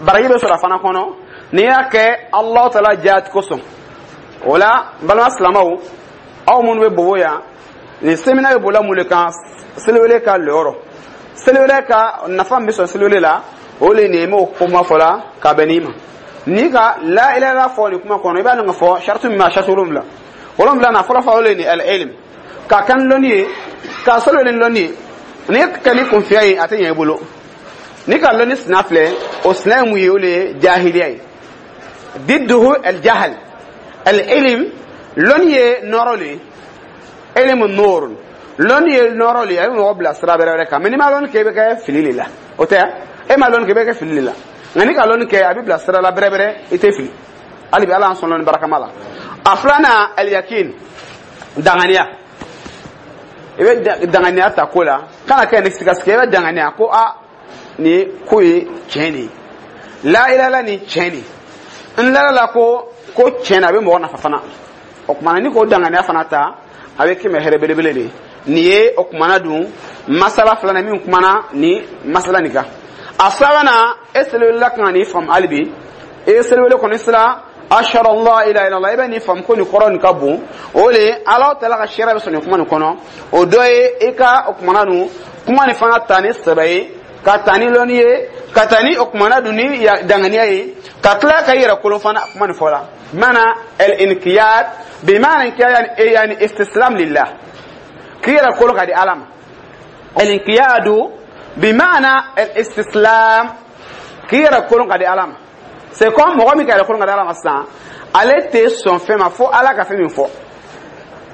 Baraji bɛ sɔrɔ a fana kɔnɔ n'i y'a kɛ Alahu Taala jaati kosɔn. O la, n balima silamɛw, aw minnu bɛ Bobo yan, nin séminaire bɛ bolila mun de kan? Seliwele ka lɔyɔrɔ, seliwele ka nafa min bɛ sɔrɔ seliwele la, o de ye nin ye. N b'o kuma fɔ la ka bɛn n'i ma. N'i ka la ilaha illallah fɔ nin kuma kɔnɔ, i b'a dɔn k'a fɔ sarati min b'a sarati 7, 7 na fɔlɔ fɔlɔ, o de ye nin al ilm, ka kan lɔnni ye, ka seliwele ni lɔnni ye. N'i kɛ ni kunfiya ye, a tɛ ɲɛ i bolo. N'i ka lɔnni sina filɛ, o sina ye mun ye? O de ye jahiliya ye, didduhu al jahal. Al ilm, lɔnni ye nɔrɔ le ye, ilmu nur, lɔnni ye nɔrɔ le ye, a bɛ mɔgɔ bila sira bɛrɛ wɛrɛ kan. Mɛ n'i ma lɔnni kɛ, i bɛ kɛ fili de la. O tɛ, e ma lɔnni kɛ, i bɛ kɛ fili de la. Nka n'i ka lɔnni kɛ, a bɛ bila sira la bɛrɛ bɛrɛ, i tɛ fili. Hali bi, Ala y'an sɔn lɔnni barakama la. A filanan, al yakin, danganiya. I bɛ danganiya ta ko la, kana kɛ ni sigasiga. I bɛ danganiya ko a nin ko ye tiɲɛ de ye, la ilaha nin tiɲɛ de ye, n lala la ko tiɲɛ na, a bɛ mɔgɔ nafa fana. O kumana, ni k'o danganiya fana ta, a bɛ kɛmɛ hɛrɛ belebele de ye. Nin ye o kumana dun masala filanan min kumana ni masala nin kan. A sabanan, e seliwela kan ka nin faamu. Hali bi, e seliwele kɔni sera ashhadu an la ilaha illallah, i bɛ nin faamu ko nin kɔrɔ nin ka bon. O de ye Ala taala ka sariya bɛ sɔrɔ nin kuma nin kɔnɔ. O dɔ ye i ka o kumana dun kuma nin fana ta ni sɛbɛ ye, ka ta ni lɔnni ye, ka ta ni o kumana dun ni danganiya ye, ka tila ka i yɛrɛ kolon fana kuma nin fɔ la. Bimana al inqiyad, bimana inqiyad yani istislam lillah, k'i yɛrɛ kolon ka di Ala ma. Al inqiyadu bimana al istislam, k'i yɛrɛ kolon ka di Ala ma. C'est comme mɔgɔ min ka yɛrɛ kolon ka di Ala ma sisan, ale tɛ sɔn fɛn ma fo Ala ka fɛn min fɔ.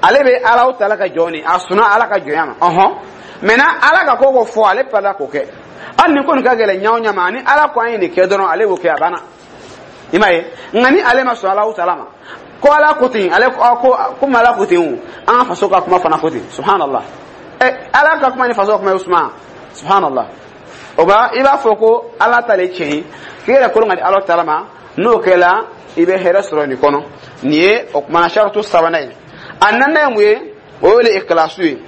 Ale bɛ Ala taala ka jɔn ni a sɔnna Ala ka jɔnya ma. Ɔhɔn, maintenant Ala ka ko ko fɔ, ale parela k'o kɛ. Hali ni ko nin ka gɛlɛn ɲa o ɲa ma, ni Ala ko an ye nin kɛ dɔrɔn, ale b'o kɛ, a banna. I m'a ye? Nka ni ale ma sɔn Ala taala ma, ko Ala ko ten, ale ko komi Ala ko ten, o an ka faso ka kuma fana ko ten. Subhanallah! Ɛ, Ala ka kuma ni faso ka kuma ye suma. Subhanallah! O ba, i b'a fɔ ko Ala ta le tiɲɛ ye, k'i yɛrɛ kolon ka di Ala taala ma. N'o kɛla, i bɛ hɛrɛ sɔrɔ nin kɔnɔ. Nin ye o kumana saratu sabanan ye. A naaninan ye mun ye? O ye le ikilasu ye.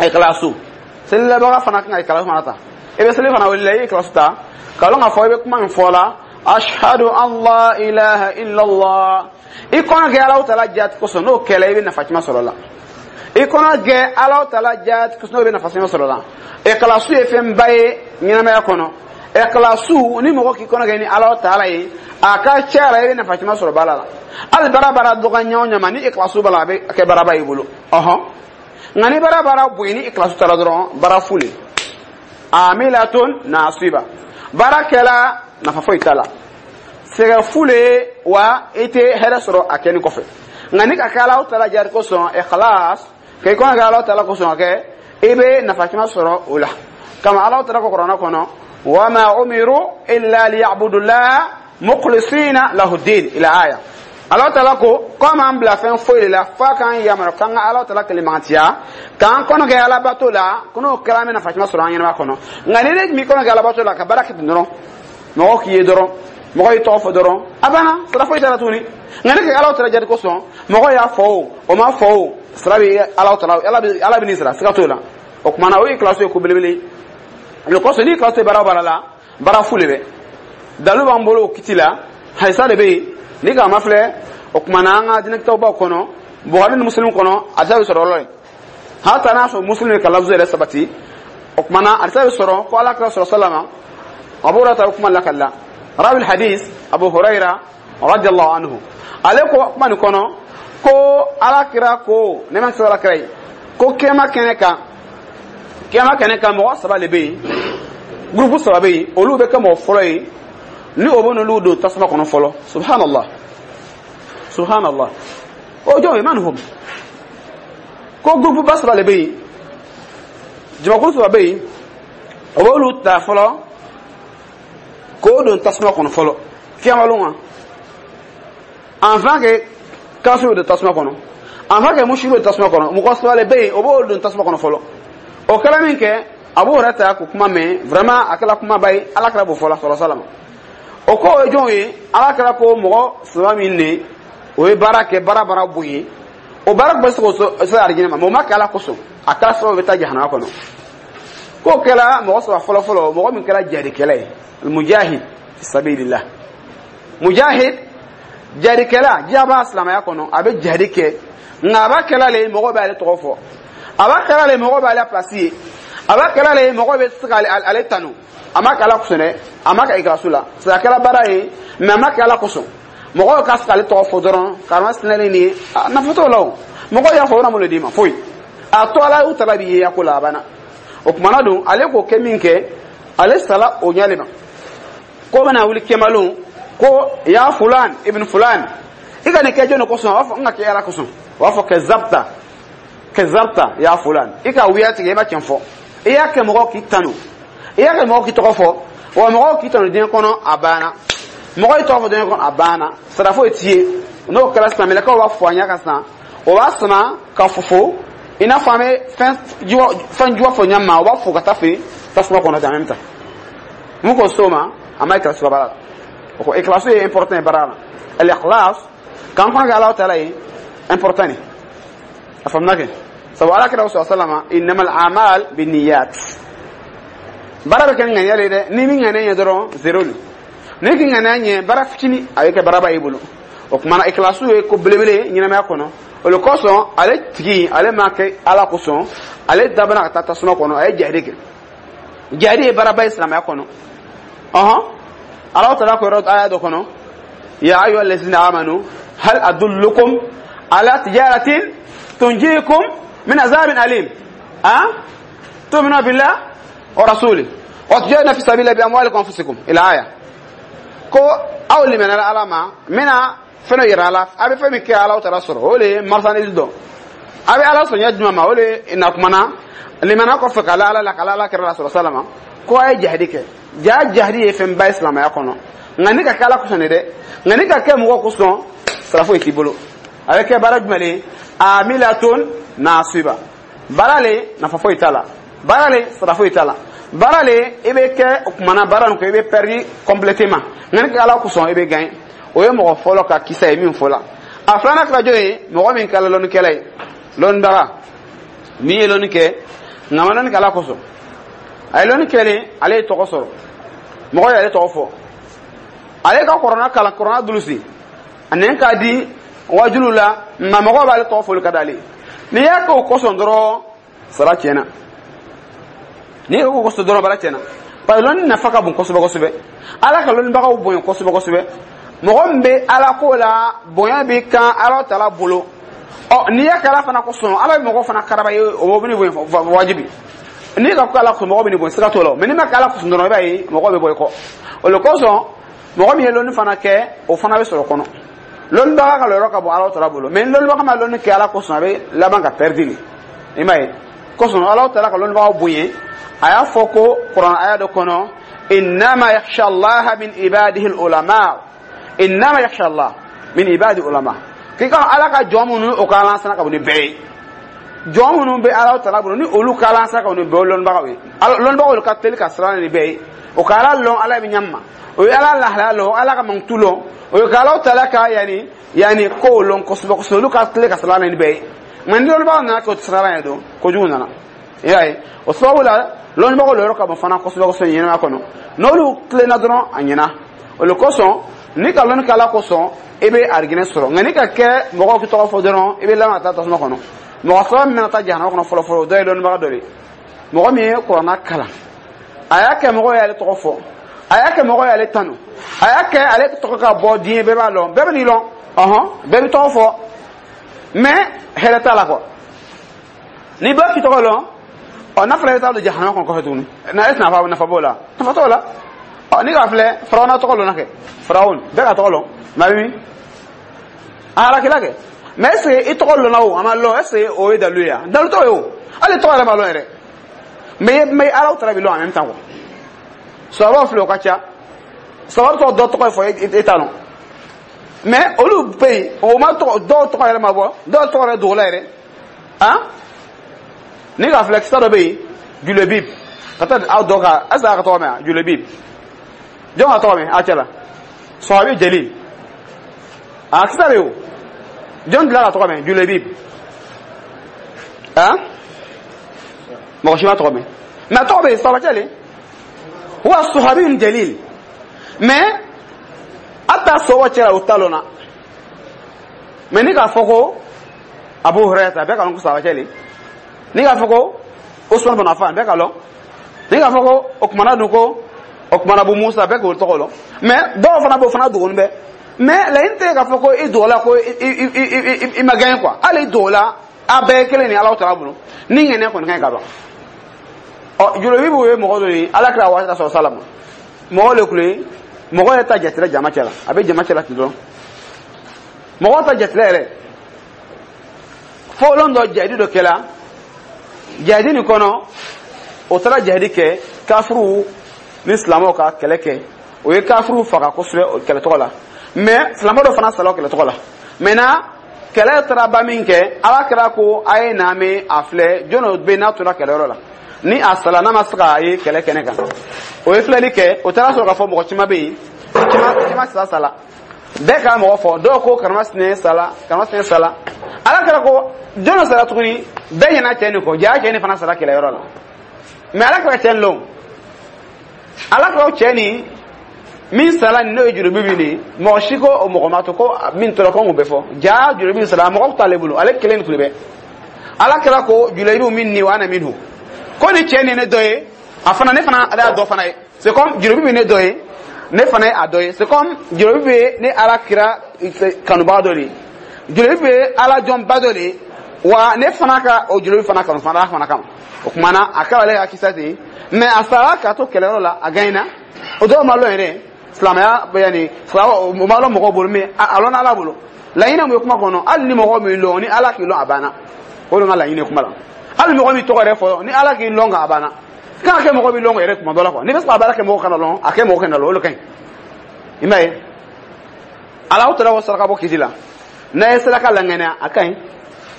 Ikilasu, selilabaga fana kan ka ikilasu fana ta. I bɛ seli fana wuli la, i ye ikilasu ta k'a lɔn k'a fɔ i bɛ kuma min fɔ la, ashhadu an la ilaha illallah, i kɔnɔ kɛ Ala taala jaati kosɔn. N'o kɛla, i bɛ nafa caman sɔrɔ la. I kɔnɔ kɛ Ala taala jaati kosɔn, n'o bɛ nafa caman sɔrɔ la. Ikilasu ye fɛnba ye ɲɛnamaya kɔnɔ. Ikilasu, ni mɔgɔ k'i kɔnɔ kɛ ni Ala taala ye, a ka ca la, i bɛ nafa caman sɔrɔ baara la. Hali baara baara dɔgɔ ɲɛ o ɲɛ ma, ni ikilasu b'a la, a bɛ kɛ baaraba y'i bolo. Ɔhɔn, nka ni baara baara bonya, ni ikilasu taara dɔrɔn, baara fu le, amilatun nasiba, baara kɛla nafa foyi t'a la, sɛgɛ fu le wa, i tɛ hɛrɛ sɔrɔ a kɛni kɔfɛ. Nka ni ka kɛ Ala taala jari kosɔn, ikhlas, k'i kɔnɔ kɛ Ala taala kosɔn ka kɛ, i bɛ nafa caman sɔrɔ o la. Kama Ala taala ko Kuranɛ kɔnɔ: wama umiru illa liya'budullah mukhlisina lahu din, ila aya. Ala taala ko k'an bila fɛn foyi de la f'a k'an yamaru k'an ka Ala taala kelemantiya, k'an kɔnɔ kɛ alabato la. Ko n'o kɛra, an bɛ nafa caman sɔrɔ an ɲɛnama kɔnɔ. Nka ni ne m'i kɔnɔ kɛ alabato la, ka baara kɛ ten dɔrɔn, mɔgɔ k'i ye dɔrɔn, mɔgɔ y'i tɔgɔ fɔ dɔrɔn, a banna, sara foyi t'a la tuguni. Nka ne kɛ Ala taala jati kosɔn, mɔgɔ y'a fɔ o, o ma fɔ o, sara bɛ Ala taala, Ala bɛ nin sara, siga t'o la. O kumana, o ye kilasi ye ko belebele. O kosɔn, ni kilasi baara o baara la, baara fu le bɛ. Dalu b'an bolo o kiti la, hadisa de bɛ yen ni k'a ma filɛ. O kumana, an ka diinɛkitabaw kɔnɔ, Bukhari ni Muslim kɔnɔ, hadisa bɛ sɔrɔ yɔrɔ ye. Hata n'a sɔrɔ Muslim ye ka lafzu yɛrɛ sabati. O kumana, hadisa bɛ sɔrɔ ko Ala kira sɔrɔ salama, Abu Hurairah kuma lakali la, rawi hadis Abu Hurairah radiyallahu anhu, ale ko kuma nin kɔnɔ ko Ala kira ko, ne ma sɔrɔ Ala kira ye ko kiyama kɛnɛ kan, kiyama kɛnɛ kan, mɔgɔ saba de bɛ yen, gurupu saba bɛ yen, olu bɛ kɛ mɔgɔ fɔlɔ ye ni o bɛ n'olu don tasuma kɔnɔ fɔlɔ. Subhanallah, subhanallah! O jɔn ye? Man hum? Ko gurupu ba saba de bɛ yen, jamakulu saba bɛ yen, o b'olu ta fɔlɔ k'o don tasuma kɔnɔ fɔlɔ kiyama lon. Wa enfin que kafiriw don tasuma kɔnɔ, enfin que musiriw don tasuma kɔnɔ, mɔgɔ saba de bɛ yen, o b'olu don tasuma kɔnɔ fɔlɔ. O kɛra min kɛ, Abu Hurairah ta k'o kuma mɛn, vraiment a kɛra kumaba ye. Ala kɛra b'o fɔla sɔrɔ salama. O ko o ye jɔn ye? Ala kɛra ko mɔgɔ saba min de o ye baara kɛ, baara baara bon ye, o baara tun bɛ se k'o se arijinɛ ma, mɛ o ma kɛ Ala kosɔn, a kɛra sababu bɛ taa jahanama kɔnɔ. K'o kɛra mɔgɔ saba fɔlɔ fɔlɔ, mɔgɔ min kɛra jadikɛla ye, mujahid. Fi sabilillah. Mujahid, jihadikɛla, diɲɛ b'a silamɛya kɔnɔ, a bɛ jihadi kɛ, nka a b'a kɛla le mɔgɔw b'ale tɔgɔ fɔ, a b'a kɛla le mɔgɔw b'ale place ye, a b'a kɛla le mɔgɔw bɛ se k'ale ale tanu. A ma kɛ Ala kosɔn dɛ, a ma kɛ ikhlasu la. C'est a kɛra baara ye, mais a ma kɛ Ala kosɔn. Mɔgɔw ka se k'ale tɔgɔ fɔ dɔrɔn, karama sinalen nin ye, nafa t'o la o. Mɔgɔw y'a fɔ, o bɛna mun de d'i ma? Foyi. A to Ala y'u tala b'i ye ya ko la, a banna. O kumana don, ale k'o kɛ min kɛ, ale sala o ɲɛ de ma. Ko bɛna wuli kɛmalon ko ya fulan ibn fulan, i ka nin kɛ jɔn de kosɔn? A b'a fɔ n ka kɛ Ala kosɔn. O b'a fɔ kazabta, kazabta ya fulan, i ka wuya tigɛ, i ma tiɲɛ fɔ. I y'a kɛ mɔgɔw k'i tanu, i y'a kɛ mɔgɔw k'i tɔgɔ fɔ, wa mɔgɔw k'i tanu diɲɛ kɔnɔ, a banna. Mɔgɔw y'i tɔgɔ fɔ diɲɛ kɔnɔ, a banna, sara foyi t'i ye. N'o kɛra sisan, mɛlɛkɛw b'a fɔ a ɲɛ kan sisan, o b'a sama ka fofo i n'a fɔ an bɛ fɛn juwa fɔ ɲɛ ma, o b'a fo ka taa fɛ tasuma kɔnɔ ten en même temps. Mun ko s'o ma? A ma ikhlasu ka baara la. O ko ikhlasu ye important ye baara la. Al ikhlas, k'an kɔnɔ kɛ Ala taala ye, important ne. A faamuna kɛ sabu Ala kira sallallahu alaihi wasallam, innamal a'mal binniyat. Baara bɛ kɛ ni ŋaniya de ye dɛ. Ni min ŋaniya ɲɛ dɔrɔn, zéro de. Ni k'i ŋaniya ɲɛ, baara fitini a bɛ kɛ baaraba y'i bolo. O kumana, ikhlasu ye ko belebele ɲɛnamaya kɔnɔ. O de kosɔn, ale tigi, ale ma kɛ Ala kosɔn, ale dabana ka taa tasuma kɔnɔ. A ye jihadi kɛ. Jihadi ye baaraba ye silamɛya kɔnɔ. Ɔhɔn, Ala taala ko yɔrɔ aya dɔ kɔnɔ: ya ayyuha allazina amanu hal adullukum ala tijaratin tunjikum min azabin alim ah tu'minuna billah wa rasuli wa tujahiduna fi sabilillah bi amwalikum wa anfusikum ila aya. Ko aw limaniyara Ala ma, n bɛna fɛn dɔ yira a la, a bɛ fɛn min kɛ Ala taala sɔrɔ, o de ye marchandise dɔn. A bɛ Ala sɔn ɲɛ jumɛn ma? O de ye na kumana limana kɔfɛ ka la Ala la, ka la Ala kɛra la sɔrɔ salama, ko a ye jihadi kɛ. Ja jihadi ye fɛnba ye silamɛya kɔnɔ, nka ni ka kɛ Ala kosɔn de dɛ. Nka ni ka kɛ mɔgɔ kosɔn, sara foyi t'i bolo. A bɛ kɛ baara jumɛn de ye? Amilatun nasiba. Baara le, nafa foyi t'a la. Baara le, sara foyi t'a la. Baara le, i bɛ kɛ o kumana baara nin kɔ, i bɛ perdu complètement. Nka ni kɛ Ala kosɔn, i bɛ gagner. O ye mɔgɔ fɔlɔ ka kisa ye min fɔ la. A filanan kɛra jɔn ye? Mɔgɔ min kɛra lɔnnikɛla ye, lɔnnibaga min ye lɔnni kɛ, nka a ma lɔnni kɛ Ala kosɔn. A ye lɔnni kɛlen, ale ye tɔgɔ sɔrɔ, mɔgɔ y'ale tɔgɔ fɔ, ale ka kɔrɔna kalan, kɔrɔna dulusi, a nɛn k'a di wajulu la, nka mɔgɔw b'ale tɔgɔ fɔli ka d'ale ye. N'i y'a kɛ o kosɔn dɔrɔn, sara tiɲɛna. N'i y'o kosɔn dɔrɔn, baara tiɲɛna. Parce que lɔnni nafa ka bon kosɛbɛ kosɛbɛ. Ala ka lɔnnibagaw bonya kosɛbɛ kosɛbɛ. Mɔgɔ min bɛ Ala ko la, bonya bɛ kan Ala taala bolo. Ɔ, n'i y'a kɛ Ala fana kosɔn, Ala bɛ mɔgɔ fana karaba ye, o bɛ bonya wajibi. N'i ka ko Ala kosɔn, mɔgɔ bɛ nin bonya, siga t'o la. Mɛ n'i ma kɛ Ala kosɔn dɔrɔn, i b'a ye mɔgɔw bɛ bɔ i kɔ. O de kosɔn, mɔgɔ min ye lɔnni fana kɛ, o fana bɛ sɔrɔ kɔnɔ. Lɔnnibaga ka lɔyɔrɔ ka bon Ala taala bolo, mɛ ni lɔnnibaga ma lɔnni kɛ Ala kosɔn, a bɛ laban ka perdre de. I m'a ye kosɔn, Ala taala ka lɔnnibagaw bonya. A y'a fɔ ko kuranɛ aya dɔ kɔnɔ: innama yakhsha Allaha min ibadihi ulama, innama yakhsha Allah min ibadi ulama. K'i ka Ala ka jɔn minnu, o ka ala sana ka bon ni bɛɛ ye. Jɔn minnu bɛ Ala taala bolo, ni olu ka ala sana ka bon ni bɛɛ ye, lɔnnibagaw ye. Lɔnnibagaw ka teli ka siran ni bɛɛ ye. O ka Ala lɔn, Ala bɛ ɲɛ ma, o ye Ala lahalaya lɔn, Ala ka mankutu lɔn, o ye ka Ala taala ka yanni kow lɔn kosɛbɛ kosɛbɛ. Olu ka teli ka siran ni bɛɛ ye. Nka ni lɔnnibagaw nana kɛ o siran ye don, kojugu nana. I y'a ye, o sababu la, lɔnnibagaw lɔyɔrɔ ka bon fana kosɛbɛ kosɛbɛ ɲɛnamaya kɔnɔ. N'olu tilenna dɔrɔn, a ɲɛna. O de kosɔn, ni ka lɔnni kɛ Ala kosɔn, i bɛ arijinɛ sɔrɔ. Nka ni ka kɛ mɔgɔw k'i tɔgɔ fɔ dɔrɔn, i bɛ laban ka taa tasuma kɔnɔ. Mɔgɔ saba min bɛna taa jahanama kɔnɔ fɔlɔ fɔlɔ, o dɔ ye lɔnnibaga dɔ de ye. Mɔgɔ min ye kuranna kalan, a y'a kɛ mɔgɔw y'ale tɔgɔ fɔ, a y'a kɛ mɔgɔw y'ale tanu, a y'a kɛ ale tɔgɔ ka bɔ diɲɛ bɛɛ b'a lɔn, bɛɛ bɛ n'i lɔn, ɔhɔn, bɛɛ bɛ tɔgɔ fɔ, mais hɛrɛ t'a la quoi. Ni bɛɛ k'i tɔgɔ lɔn, ɔ, n'a fɔra i bɛ taa don jahanama kɔnɔ kɔfɛ tuguni, na est nafa b'o la? Nafa t'o la. Ɔ, ni k'a filɛ, Farawuna tɔgɔ lɔnna kɛ, Farawun bɛɛ ka tɔgɔ lɔn, maa bɛ min a halakila kɛ. Mais est ce que i tɔgɔ lɔnna o, a ma lɔn, est ce que o ye dalu ye? Wa dalu t'o ye o, hali tɔgɔ yɛrɛ ma lɔn yɛrɛ. Mais Ala taala bi lɔn en même temps quoi. Sɔrɔ filɛ, o ka ca. Sɔrɔ tɔgɔ dɔ tɔgɔ ye fɔ, e t'a lɔn, mais olu bɛ yen, o ma tɔgɔ, dɔw tɔgɔ yɛrɛ ma bɔ, dɔw tɔgɔ yɛrɛ dogola yɛrɛ. Han, ni ka filɛ, kisa dɔ bɛ yen, Julebib, ka taa aw dɔ ka, est ce que a ka tɔgɔ mɛn wa? Julebib, jɔn ka tɔgɔ mɛn a cɛ la? Sɔhabi jalil, a kisa bɛ yen o. Jɔn dilan ka tɔgɔ mɛn Julebib? Han, mɔgɔ si ma tɔgɔ mɛn, mais a tɔgɔ bɛ yen, sɔhabacɛ le, huwa sahabiyun jalil. Mais a ta sɔwɔ cɛ la, o ta lɔn na. Mais ni k'a fɔ ko Abu Hurairah, bɛɛ ka lɔn ko sahaba cɛ le. Ni k'a fɔ ko Usman bin Affan, bɛɛ ka lɔn. Ni k'a fɔ ko o kumana dun, ko o kumana Abu Musa, bɛɛ k'o tɔgɔ lɔn. Mais dɔw fana b'o fana dogoni bɛ. Mais laɲini tɛ k'a fɔ ko i dogola ko i ma gagné quoi. Hali i dogola, a bɛɛ ye kelen ni Ala taala bolo. Ni ŋɛnɛ kɔni ka ɲi ka ban. Ɔ, Jolobibu ye mɔgɔ dɔ ye, Ala kira waati la sɔrɔ salama, mɔgɔ le kun ye mɔgɔ yɛrɛ ta jatila jama cɛ la, a bɛ jama cɛ la ten dɔrɔn, mɔgɔ ta jatila yɛrɛ. Fɔlɔ dɔ, jahidi dɔ kɛla jahidi nin kɔnɔ. O taara jahidi kɛ, kafiruw ni silamɛw ka kɛlɛ kɛ. O ye kafiruw faga kosɛbɛ kɛlɛ tɔgɔ la, mais silamɛ dɔ fana sala o kɛlɛ tɔgɔ la. Maintenant, kɛlɛ taara ba min kɛ, Ala kɛra ko a ye na mɛn a filɛ, jɔn bɛ n'a tora kɛlɛyɔrɔ la ni a sala, n'a ma se k'a ye kɛlɛ kɛnɛ kan. O ye filɛli kɛ, o taara sɔrɔ k'a fɔ mɔgɔ caman bɛ yen, caman sala sala, bɛɛ k'a mɔgɔ fɔ. Dɔw ko karamasinɛ sala, karamasinɛ sala. Ala kɛra ko jɔn sara tuguni? Bɛɛ ɲɛna cɛ nin kɔ, jaa cɛ nin fana sara kɛlɛyɔrɔ la. Mais Ala kɛra cɛ nin lɔn, Ala kɛra cɛ nin min sala nin, n'o ye jurubi min ye, mɔgɔ si ko o mɔgɔ ma to ko min tora ko n bɛ fɔ. Jaa jurubi sala, mɔgɔ t'ale bolo, ale kelen tun bɛ. Ala kɛra ko julayibu min ni wa ana minhu, ko ni cɛ nin ne dɔ ye, a fana ne fana ale y'a dɔ fana ye. C'est comme jurubi bɛ ne dɔ ye, ne fana ye a dɔ ye. C'est comme jurubi bɛ ne Ala kira kanubaga dɔ de ye, jurubi bɛ Ala jɔnba dɔ de ye. Wa ne fana ka o jurubi fana kanu fana, Ala fana kama. O kuma na, a kɛra ale ka kisa ten. Mais a sara k'a to kɛlɛyɔrɔ la, a gagnera. O dɔw ma lɔn yɛrɛ silamɛya bɛ yanni o ma lɔn mɔgɔw bolo, mais a lɔnna Ala bolo. Laɲini mun ye kuma kɔnɔ? Hali ni mɔgɔ min lɔn, ni Ala k'i lɔn, a banna. O de ka laɲini ye kuma la. Hali mɔgɔ min tɔgɔ yɛrɛ fɔ, ni Ala k'i lɔn kan, a banna. Kana kɛ mɔgɔ b'i lɔn yɛrɛ kuma dɔ la quoi. N'i bɛ se ka baara kɛ, mɔgɔ kana lɔn, a kɛ mɔgɔ kana lɔn, o de ka ɲi. I m'a ye, Ala taala ko saraka bɔ kiti la, n'a ye saraka laŋɛnɛ, a ka ɲi.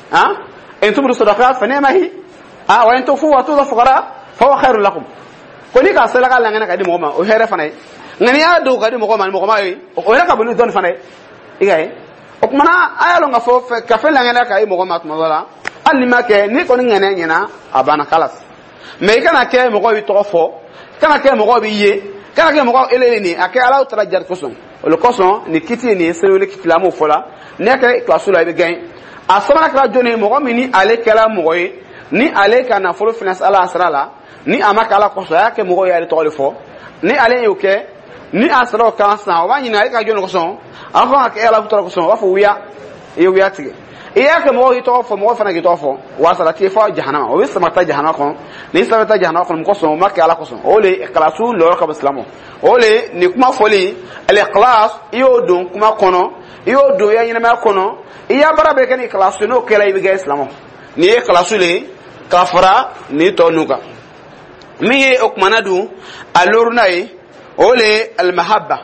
Han, in tubdu sadaqat fa ni'ma hi, ah, wa in tukhfu wa tu'tu fuqara fa huwa khairun lakum. Ko ni ka saraka laŋɛnɛ ka di mɔgɔ ma, o hɛrɛ fana ye. Nka n'i y'a dogo ka di mɔgɔ ma, mɔgɔ ma ye, o yɛrɛ ka bon ni dɔɔni fana ye. I ka ye, o kumana a y'a lɔn k'a fɔ ka fɛn laŋɛnɛ ka ye mɔgɔ ma tuma dɔ la, hali n'i ma kɛ, n'i kɔni ŋɛnɛ ɲɛna, a banna, kalas. Mais i kana kɛ mɔgɔw b'i tɔgɔ fɔ, kana kɛ mɔgɔw b'i ye, kana kɛ mɔgɔw elele nin a kɛ Ala taara jari kosɔn. O le kosɔn nin kiti nin ye seliwele kiti la, an b'o fɔ la. N'i y'a kɛ kilasi la, i bɛ gagner. A sabanan kɛra jɔnni ye? Mɔgɔ min ni ale kɛra mɔgɔ ye, ni ale ka nafolo finance Ala sira la, ni a ma kɛ Ala kosɔn, a y'a kɛ mɔgɔw y'ale tɔgɔ de fɔ. Ni ale y'o kɛ, ni a sara o kan sisan, o b'a ɲininka e ka jɔnni kosɔn? A b'a fɔ ka kɛ Ala tɔgɔ kosɔn. O b'a fɔ wuya, i ye wuya tigɛ. I y'a kɛ mɔgɔw k'i tɔgɔ fɔ, mɔgɔw fana k'i tɔgɔ fɔ, wa sara t'i fɔ jahanama. O bɛ sama taa jahanama kɔnɔ. N'i sara taa jahanama kɔnɔ, mun kosɔn? O ma kɛ Ala kosɔn. O le ikhlasu lɔyɔrɔ ka bon silamɛ. O le nin kuma fɔli, al-ikhlas, i y'o don kuma kɔnɔ, i y'o don i ka ɲɛnamaya kɔnɔ, i y'a baara bɛɛ kɛ ni ikhlasu. N'o kɛra, i bɛ kɛ silamɛ. Nin ye ikhlasu le ye ka fara nin tɔ ninnu kan. Min ye o kumana dun, a loruna ye, o le ye al-mahabba.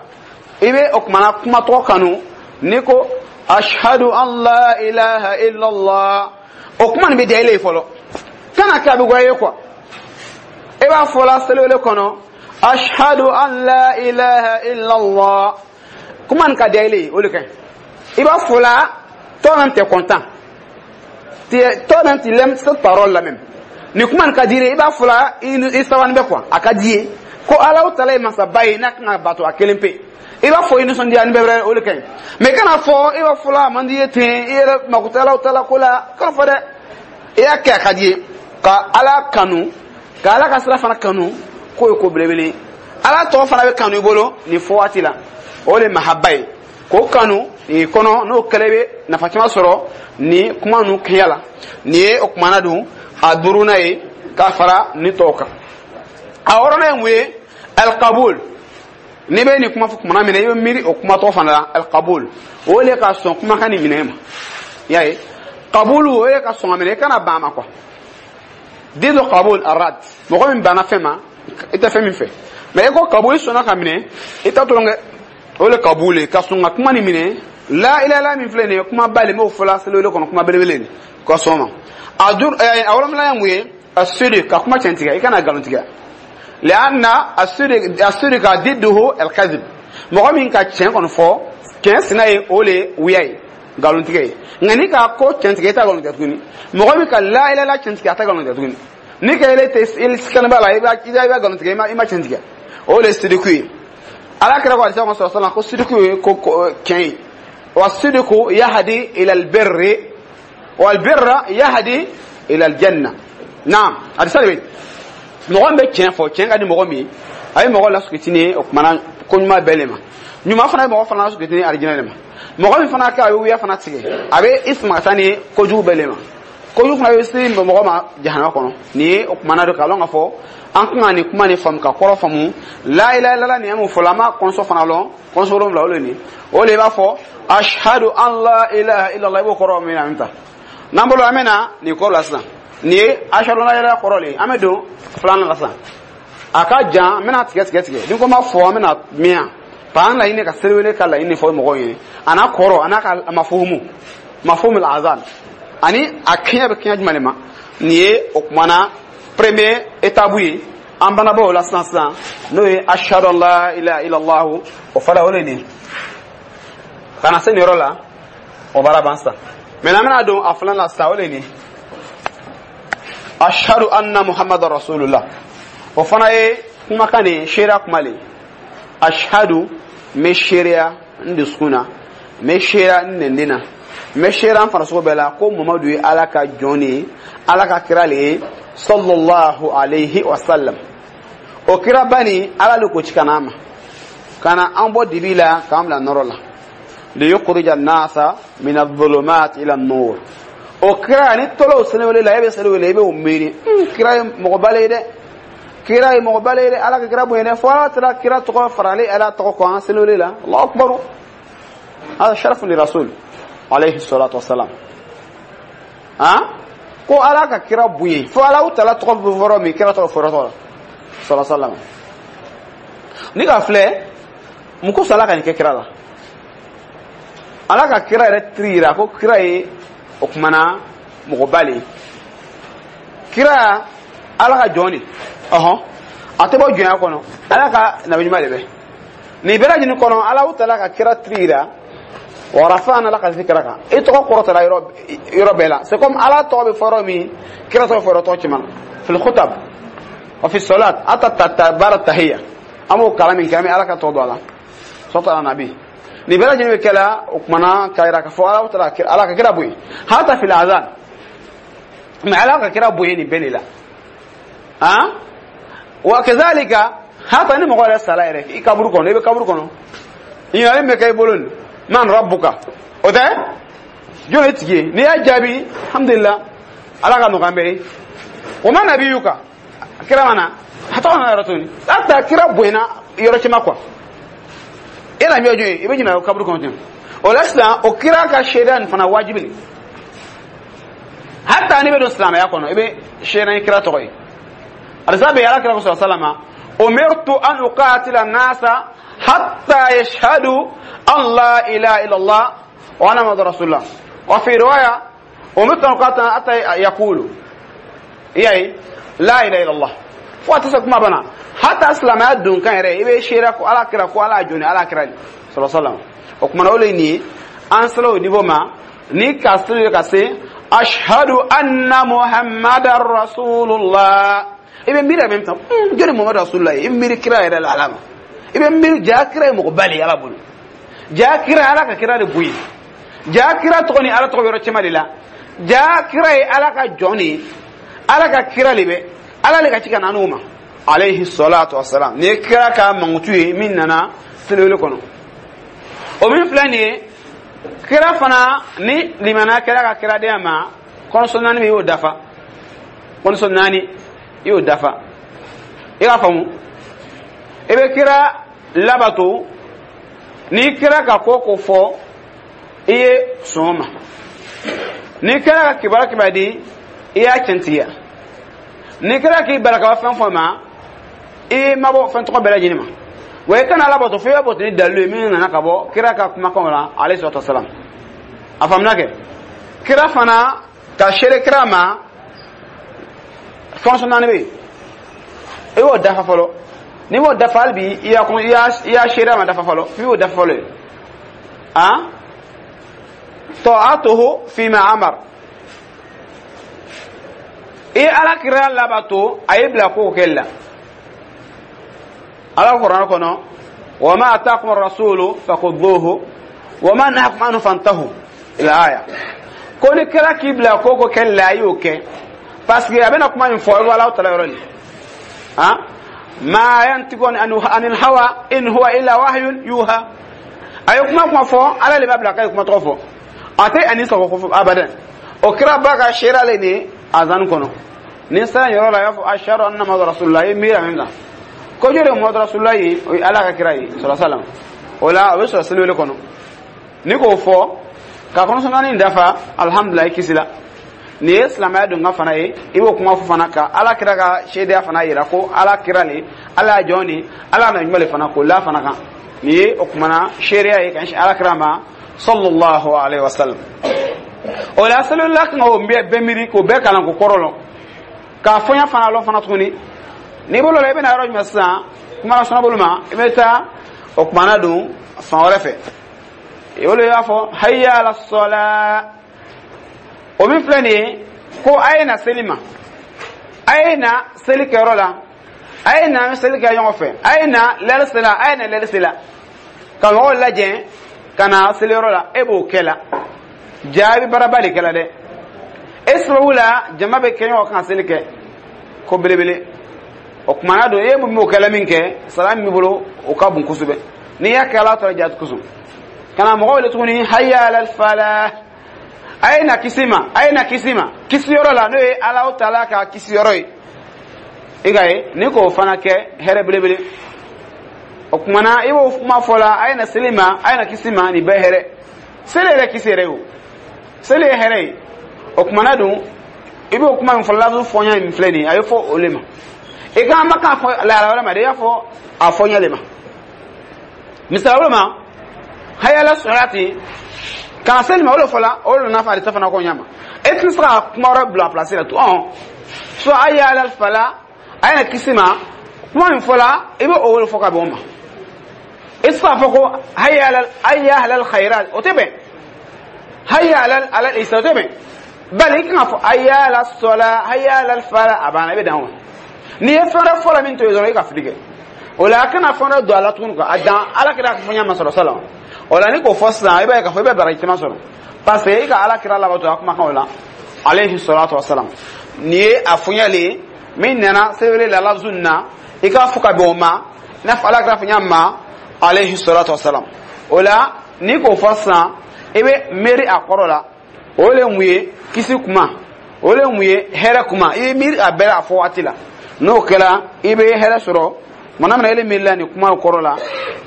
I bɛ o kumana kuma tɔgɔ kanu. N'i ko ashhadu an la ilaha illallah, o kuma nin bɛ diya i ye fɔlɔ, kana kɛ a bɛ goya i ye quoi. I b'a fɔ la seliwele kɔnɔ, ashhadu an la ilaha illallah, kuma nin ka diya i ye, o de ka ɲi. I b'a fɔ la, toi-même t'es content, toi-même tu l'aimes, cette parole là même. Ni kuma nin ka di i ye, i b'a fɔ la, i sabani bɛ quoi, a ka di i ye ko Ala taala ye masaba ye n'a kan ka bato a kelen pe. I b'a fɔ i nisɔndiya ni bɛɛ wɛrɛ, o de ka ɲi. Mais kana fɔ i b'a fɔ la, a man di i ye ten, i yɛrɛ mako tɛ Ala taala ko la, kana fɔ dɛ. I y'a kɛ a ka di i ye ka Ala kanu, ka Ala ka sira fana kanu, k'o ye ko belebele ye. Ala tɔgɔ fana bɛ kanu i bolo nin fɔ waati la, o de ye mahaba ye, k'o kanu i kɔnɔ. N'o kɛlɛ, bɛ nafa caman sɔrɔ ni kuma ninnu kɛɲɛ la. Nin ye o kumana dun a duurunan ye ka fara ni tɔw kan. A wɔɔrɔnan ye mun ye? Alkabul. N'i bɛ nin kuma fɔ kumana min na, i bɛ miiri o kuma tɔgɔ fana la, alkabul. O le ka sɔn kumakan nin minɛ ma. I y'a ye, kabulu, o ye ka sɔn ka minɛ, i kana ban a ma quoi. Den dɔ kabul arad, mɔgɔ min banna fɛn ma, i tɛ fɛn min fɛ. Mais i ko kabul, i sɔnna ka minɛ, i t'a dɔrɔn kɛ. O le kabul ye ka sɔn ka kuma nin minɛ. La ilaha min filɛ nin ye, kuma ba le, m'o fɔla seliwele kɔnɔ, kuma belebele nin ka sɔn ma. A duuru, a wolonwula ye mun ye? A siri ka kuma tiɲɛ tigɛ, i kana nkalon tigɛ. لأن الصدق ضده الكذب. Mɔgɔ min ka tiɲɛ kɔni fɔ, tiɲɛ sina ye, o le wuya ye, nkalontigɛ ye. Nka n'i ka ko tiɲɛ tigɛ, i t'a nkalon tigɛ tuguni. Mɔgɔ min ka la ilaha tiɲɛ tigɛ, a t'a nkalon tigɛ tuguni. N'i ka ele tɛ ele sikana b'a la, i b'a nkalon tigɛ, i ma tiɲɛ tigɛ. O le sidiku ye. Ala kira ko alisa ko sallallahu ko sidiku ye ko tiɲɛ ye. Wa sidiku yahdi ila albirri wal birra yahdi ila aljanna. Naam, hadisa de bɛ mɔgɔ min bɛ tiɲɛ fɔ, tiɲɛ ka di mɔgɔ min ye, a ye mɔgɔ lasukitini ye, o kumana ko ɲuman bɛɛ le ma. Ɲuman fana ye mɔgɔ fana lasukitini arijinɛ le ma. Mɔgɔ min fana kɛ a bɛ wuya fana tigɛ, a bɛ i sama ka taa ni kojugu bɛɛ le ma. Kojugu fana bɛ se mɔgɔ ma jahanama kɔnɔ. Nin ye o kumana don k'a lɔn k'a fɔ an kan ka nin kuma nin faamu ka kɔrɔ faamu. La ilaha illallah nin ye mun fɔlɔ, an b'a kɔnsɔ fana lɔn, kɔnsɔ wolonwula o le nin o le b'a fɔ ashhadu an la ilaha illallah. I b'o kɔrɔ min na min ta n'an bolo, an bɛ na nin kɔrɔ la sisan. Nin ye ashhadu an la ilaha kɔrɔ le ye. An bɛ don filanan la sisan, a ka jan, an bɛna tigɛ tigɛ tigɛ. Ni ko ma fɔ, an bɛna miyan pa an laɲini ka seliwele ka laɲini fɔ mɔgɔw ye, a n'a kɔrɔ, a n'a ka mafuhumu mafuhumu azan, ani a kɛɲɛ bɛ kɛɲɛ jumɛn de ma. Nin ye o kumana premier étape ye. An bana bɔ o la sisan sisan, n'o ye ashhadu an la ilaha illallah. O fana o le nin ka na se nin yɔrɔ la, o baara ban sisan. Maintenant, an bɛna don a filanan la sisan, o le nin ashhadu anna muhammadar rasulullah. O fana ye kumakan de ye, seereya kuma le. Ashhadu, n bɛ seereya n dusukun na, n bɛ seereya n nɛnden na, n bɛ seereya n farisogo bɛɛ la ko Mamadu ye Ala ka jɔn de ye, Ala ka kira le ye, sallallahu alayhi wa sallam. O kiraba nin, Ala le ko ci ka n'a ma ka na an bɔ dibi la k'an bila nɔrɔ la, liyukhrija an-nasa min adh-dhulumat ila an-nur. O kira ni tɔlɔw seliwele la, e bɛ seliwele, i bɛ o miiri: kira ye mɔgɔba le ye dɛ, kira ye mɔgɔba le ye dɛ, Ala ka kira bonya dɛ. Fo Ala taara kira tɔgɔ faralen Ala tɔgɔ kan seliwele la. Allahu akbar, hada sharafun li rasul alayhi salatu wasalam. Han, ko Ala ka kira bonya, fo Ala taala tɔgɔ bɛ fɔrɔ min, kira tɔgɔ fɔrɔ tɔgɔ sallallahu alaihi wasallam. Ni ka filɛ mun ko Ala ka nin kɛ kira la, Ala ka kira yɛrɛ tiri yira ko kira ye o kumana mɔgɔba le ye. Kira Ala ka jɔn de, ɔhɔn, a tɛ bɔ jɔnya kɔnɔ, Ala ka nabi ɲuman de bɛ nin bɛɛ lajɛlen kɔnɔ. Ala taala ka kira tiri yira wa rafa'na laka dhikraka, i tɔgɔ kɔrɔtala yɔrɔ yɔrɔ bɛɛ la. C'est comme Ala tɔgɔ bɛ fɔ yɔrɔ min, kira tɔgɔ bɛ fɔ yɔrɔ tɔgɔ caman, fil khutab wa fi salat ata ta baara tahiyya. An b'o kalan min kɛ, an bɛ Ala ka tɔgɔ don a la, sɔtɔ ala nabi. Nin bɛɛ lajɛlen bɛ kɛla o kumana k'a yira k'a fɔ Ala taala Ala ka kira bonya, hata fil azan. Mais Ala ka kira bonya nin bɛɛ de la. Han, wa kazalika hata ni mɔgɔ yɛrɛ sala yɛrɛ i kaburu kɔnɔ, i bɛ kaburu kɔnɔ, ɲininkali min bɛ kɛ i bolo nin, man rabbuka, o tɛ jɔn ye tigi ye? N'i y'a jaabi, alhamdulillah, Ala ka nɔgɔya an bɛɛ ye. O ma nabiyuka, kira ma na a tɔgɔ nana yɔrɔ tuguni, hata kira bonyana yɔrɔ caman quoi. E la mi jɔn ye, i bɛ ɲininka kaburu kɔnɔ ten. O la sisan, o kira ka seereya nin fana wajibi de. Hata n'i bɛ don silamɛya kɔnɔ, i bɛ seereya ni kira tɔgɔ ye. Alisa bɛ Ala kira ko sallama umirtu an uqatila nasa hatta yashhadu an la ilaha illallah wa anna muhammadur rasulullah. Wa fi riwaya umirtu an uqatila hatta yaqulu iyaye la ilaha illallah. Fo a tɛ se kuma bana. Hata silamɛya don kan yɛrɛ, i bɛ seereya ko Ala kira ko Ala jɔn ni Ala kira de sallallahu alaihi wasallam. O kumana o le ye nin ye, an sera o niveau ma ni ka seli ka se ashhadu anna muhammadar rasulullah. I bɛ miiri a bɛ tan jɔn ni Muhammadu rasulullah ye, i bɛ miiri kira yɛrɛ la Ala ma, i bɛ miiri ja kira ye mɔgɔba le ye Ala bolo, ja kira Ala ka kira de bonya, ja kira tɔgɔ ni Ala tɔgɔ yɔrɔ caman de la, ja kira ye Ala ka jɔn de ye, Ala ka kira de bɛ Ala le ka ci ka na n'o ma alayhi salatu wasalam. Nin ye kira ka mankutu ye min nana seliwele kɔnɔ. O min filɛ nin ye, kira fana ni limaniya kɛra ka kiradenya ma, kɔnɔsɔn naani bɛ, i y'o dafa, kɔnɔsɔn naani i y'o dafa. I k'a faamu, i bɛ kira labato ni kira ka ko ko fɔ, i ye sɔn o ma. Ni kira ka kibaruya kibaruya di, i y'a tiɲɛtigiya. Ni kira k'i bala ka bɔ fɛn fɛn ma, i ma bɔ fɛn tɔgɔ bɛɛ lajɛlen ma. Wa i kana labato fo i b'a bato ni dalilu ye min nana ka bɔ kira ka kumakanw la alayhi salatu wasalam. A faamuna kɛ kira fana ka seere kira ma, fɛn naani bɛ yen, i b'o dafa fɔlɔ. N'i m'o dafa hali bi, i y'a seereya ma dafa fɔlɔ, f'i b'o dafa fɔlɔ ye. Han, ta'atuhu fima amar, i ye Ala kira labato a ye bila ko kɛli la. Ala kuranɛ kɔnɔ Wa ma ataakum rasulu fakhudhuhu wa ma nahakum anhu fantahu, ila aya. Ko ni kira k'i bila ko ko kɛ la, i y'o kɛ, parce que a bɛna kuma min fɔ, i bɛ Alahu Taala yɔrɔ de han. Ma yantiqu anil hawa in huwa illa wahyun yuha. A ye kuma fɔ, Ala de b'a bila k'a ye kuma tɔgɔ fɔ, a tɛ ani sago ko fɔ abadan. O kira ba ka seereya le nin azan kɔnɔ. Ni sera yɔrɔ la, a y'a fɔ ashhadu anna Muhammadu rasulullah. I ye miiri a min kan ko jɔn de ye Muhammadu rasulullah ye? O ye Ala ka kira ye sɔrɔ salam. O la, o bɛ sɔrɔ seliwele kɔnɔ. Ni k'o fɔ ka kɔnɔsɔn naani dafa, alhamdulilayi, kisila. Nin ye silamɛya don ka fana ye. I b'o kuma fɔ fana ka Ala kira ka seereya fana yira ko Ala kira le, Ala y'a jɔn de, Ala na ɲuman le fana k'o la fana kan. Nin ye o kumana seereya ye ka ɲɛsin Ala kira ma sallallahu alaihi wasallam. O la, seliwela kan k'o bɛɛ miiri, k'o bɛɛ kalan, k'o kɔrɔ lɔn, k'a fɔɲa fana lɔn fana tuguni. N'i bolo la, i bɛna yɔrɔ jumɛn sisan? Kuma la sɔnna bolo ma, i bɛ taa o kumana don fan wɛrɛ fɛ. I bolo, i b'a fɔ hayya ala sɔla. O min filɛ nin ye ko a ye na seli ma, a ye na seli kɛyɔrɔ la, a ye na seli kɛ ɲɔgɔn fɛ, a ye na lɛri sela, a ye na lɛri sela, ka mɔgɔw lajɛ ka na seliyɔrɔ la. E b'o kɛ la, jaabi baaraba de kɛla dɛ. E sababu la, jama bɛ kɛ ɲɔgɔn kan ka seli kɛ ko belebele. O kumana don, e mun b'o kɛla min kɛ, sara min b'i bolo, o ka bon kosɛbɛ n'i y'a kɛ Ala tɔgɔ jati kosɔn. Ka na mɔgɔw wele tuguni hayya alal falah, a ye na kisi ma, a ye na kisi ma, kisi yɔrɔ la, n'o ye Alahu Taala ka kisi yɔrɔ ye. I ka ye ni k'o fana kɛ hɛrɛ belebele. O kumana, i b'o kuma fɔ la, a ye na seli ma, a ye na kisi ma, nin bɛɛ hɛrɛ. Seli yɛrɛ kisi yɛrɛ ye, o seli ye hɛrɛ ye. O kumana dun, i b'o kuma min fɔ, lazu fɔɲa min filɛ nin ye, a ye fɔ o le ma. I kan ma k'a fɔ lahala wɛrɛ ma dɛ, i y'a fɔ a fɔɲa le ma. Misali wɛrɛ ma, hayala sɔrɔti ka na seli ma, o de fɔla, o de nana fɔ a de fana ko ɲa ma. E tɛna se ka kuma wɛrɛ bila place la tugun. So hayala fala, a ye na kisi ma, kuma min fɔla, i bɛ o wele fɔ ka bɛn o ma. I tɛ se k'a fɔ ko hayala hayya alal khairat, o tɛ bɛn. Hayya alal alal isa, o tɛ bɛn. Bali i kan ka fɔ hayya ala sɔla, hayya alal fala, a banna, i bɛ dan o. N'i ye fɛn wɛrɛ fɔ la min to yen dɔrɔn, i ka fili kɛ. O la, a kana fɛn wɛrɛ don a la tuguni quoi, a dan Ala kira ka fɔ ɲɛ ma sɔrɔ sala. O la, ni k'o fɔ sisan, i b'a ye k'a fɔ i bɛ baraji caman sɔrɔ, parce que i ka Ala kira labato a kumakanw la alayhi salatu wasalam. Nin ye a fɔɲɛli ye min nana sɛbɛnni la lafzu nin na, i k'a fɔ ka bɛn o ma, i n'a fɔ Ala kira fɔ ɲɛ ma alayhi salatu wasalam. O la, n'i k'o fɔ sisan, i bɛ miiri a kɔrɔ la. O le mun ye kisi kuma, o le mun ye hɛrɛ kuma, i ye miiri a bɛɛ la a fɔ waati la. N'o kɛra, i bɛ hɛrɛ sɔrɔ. Mɔgɔ min na e miiri la nin kuma kɔrɔ la,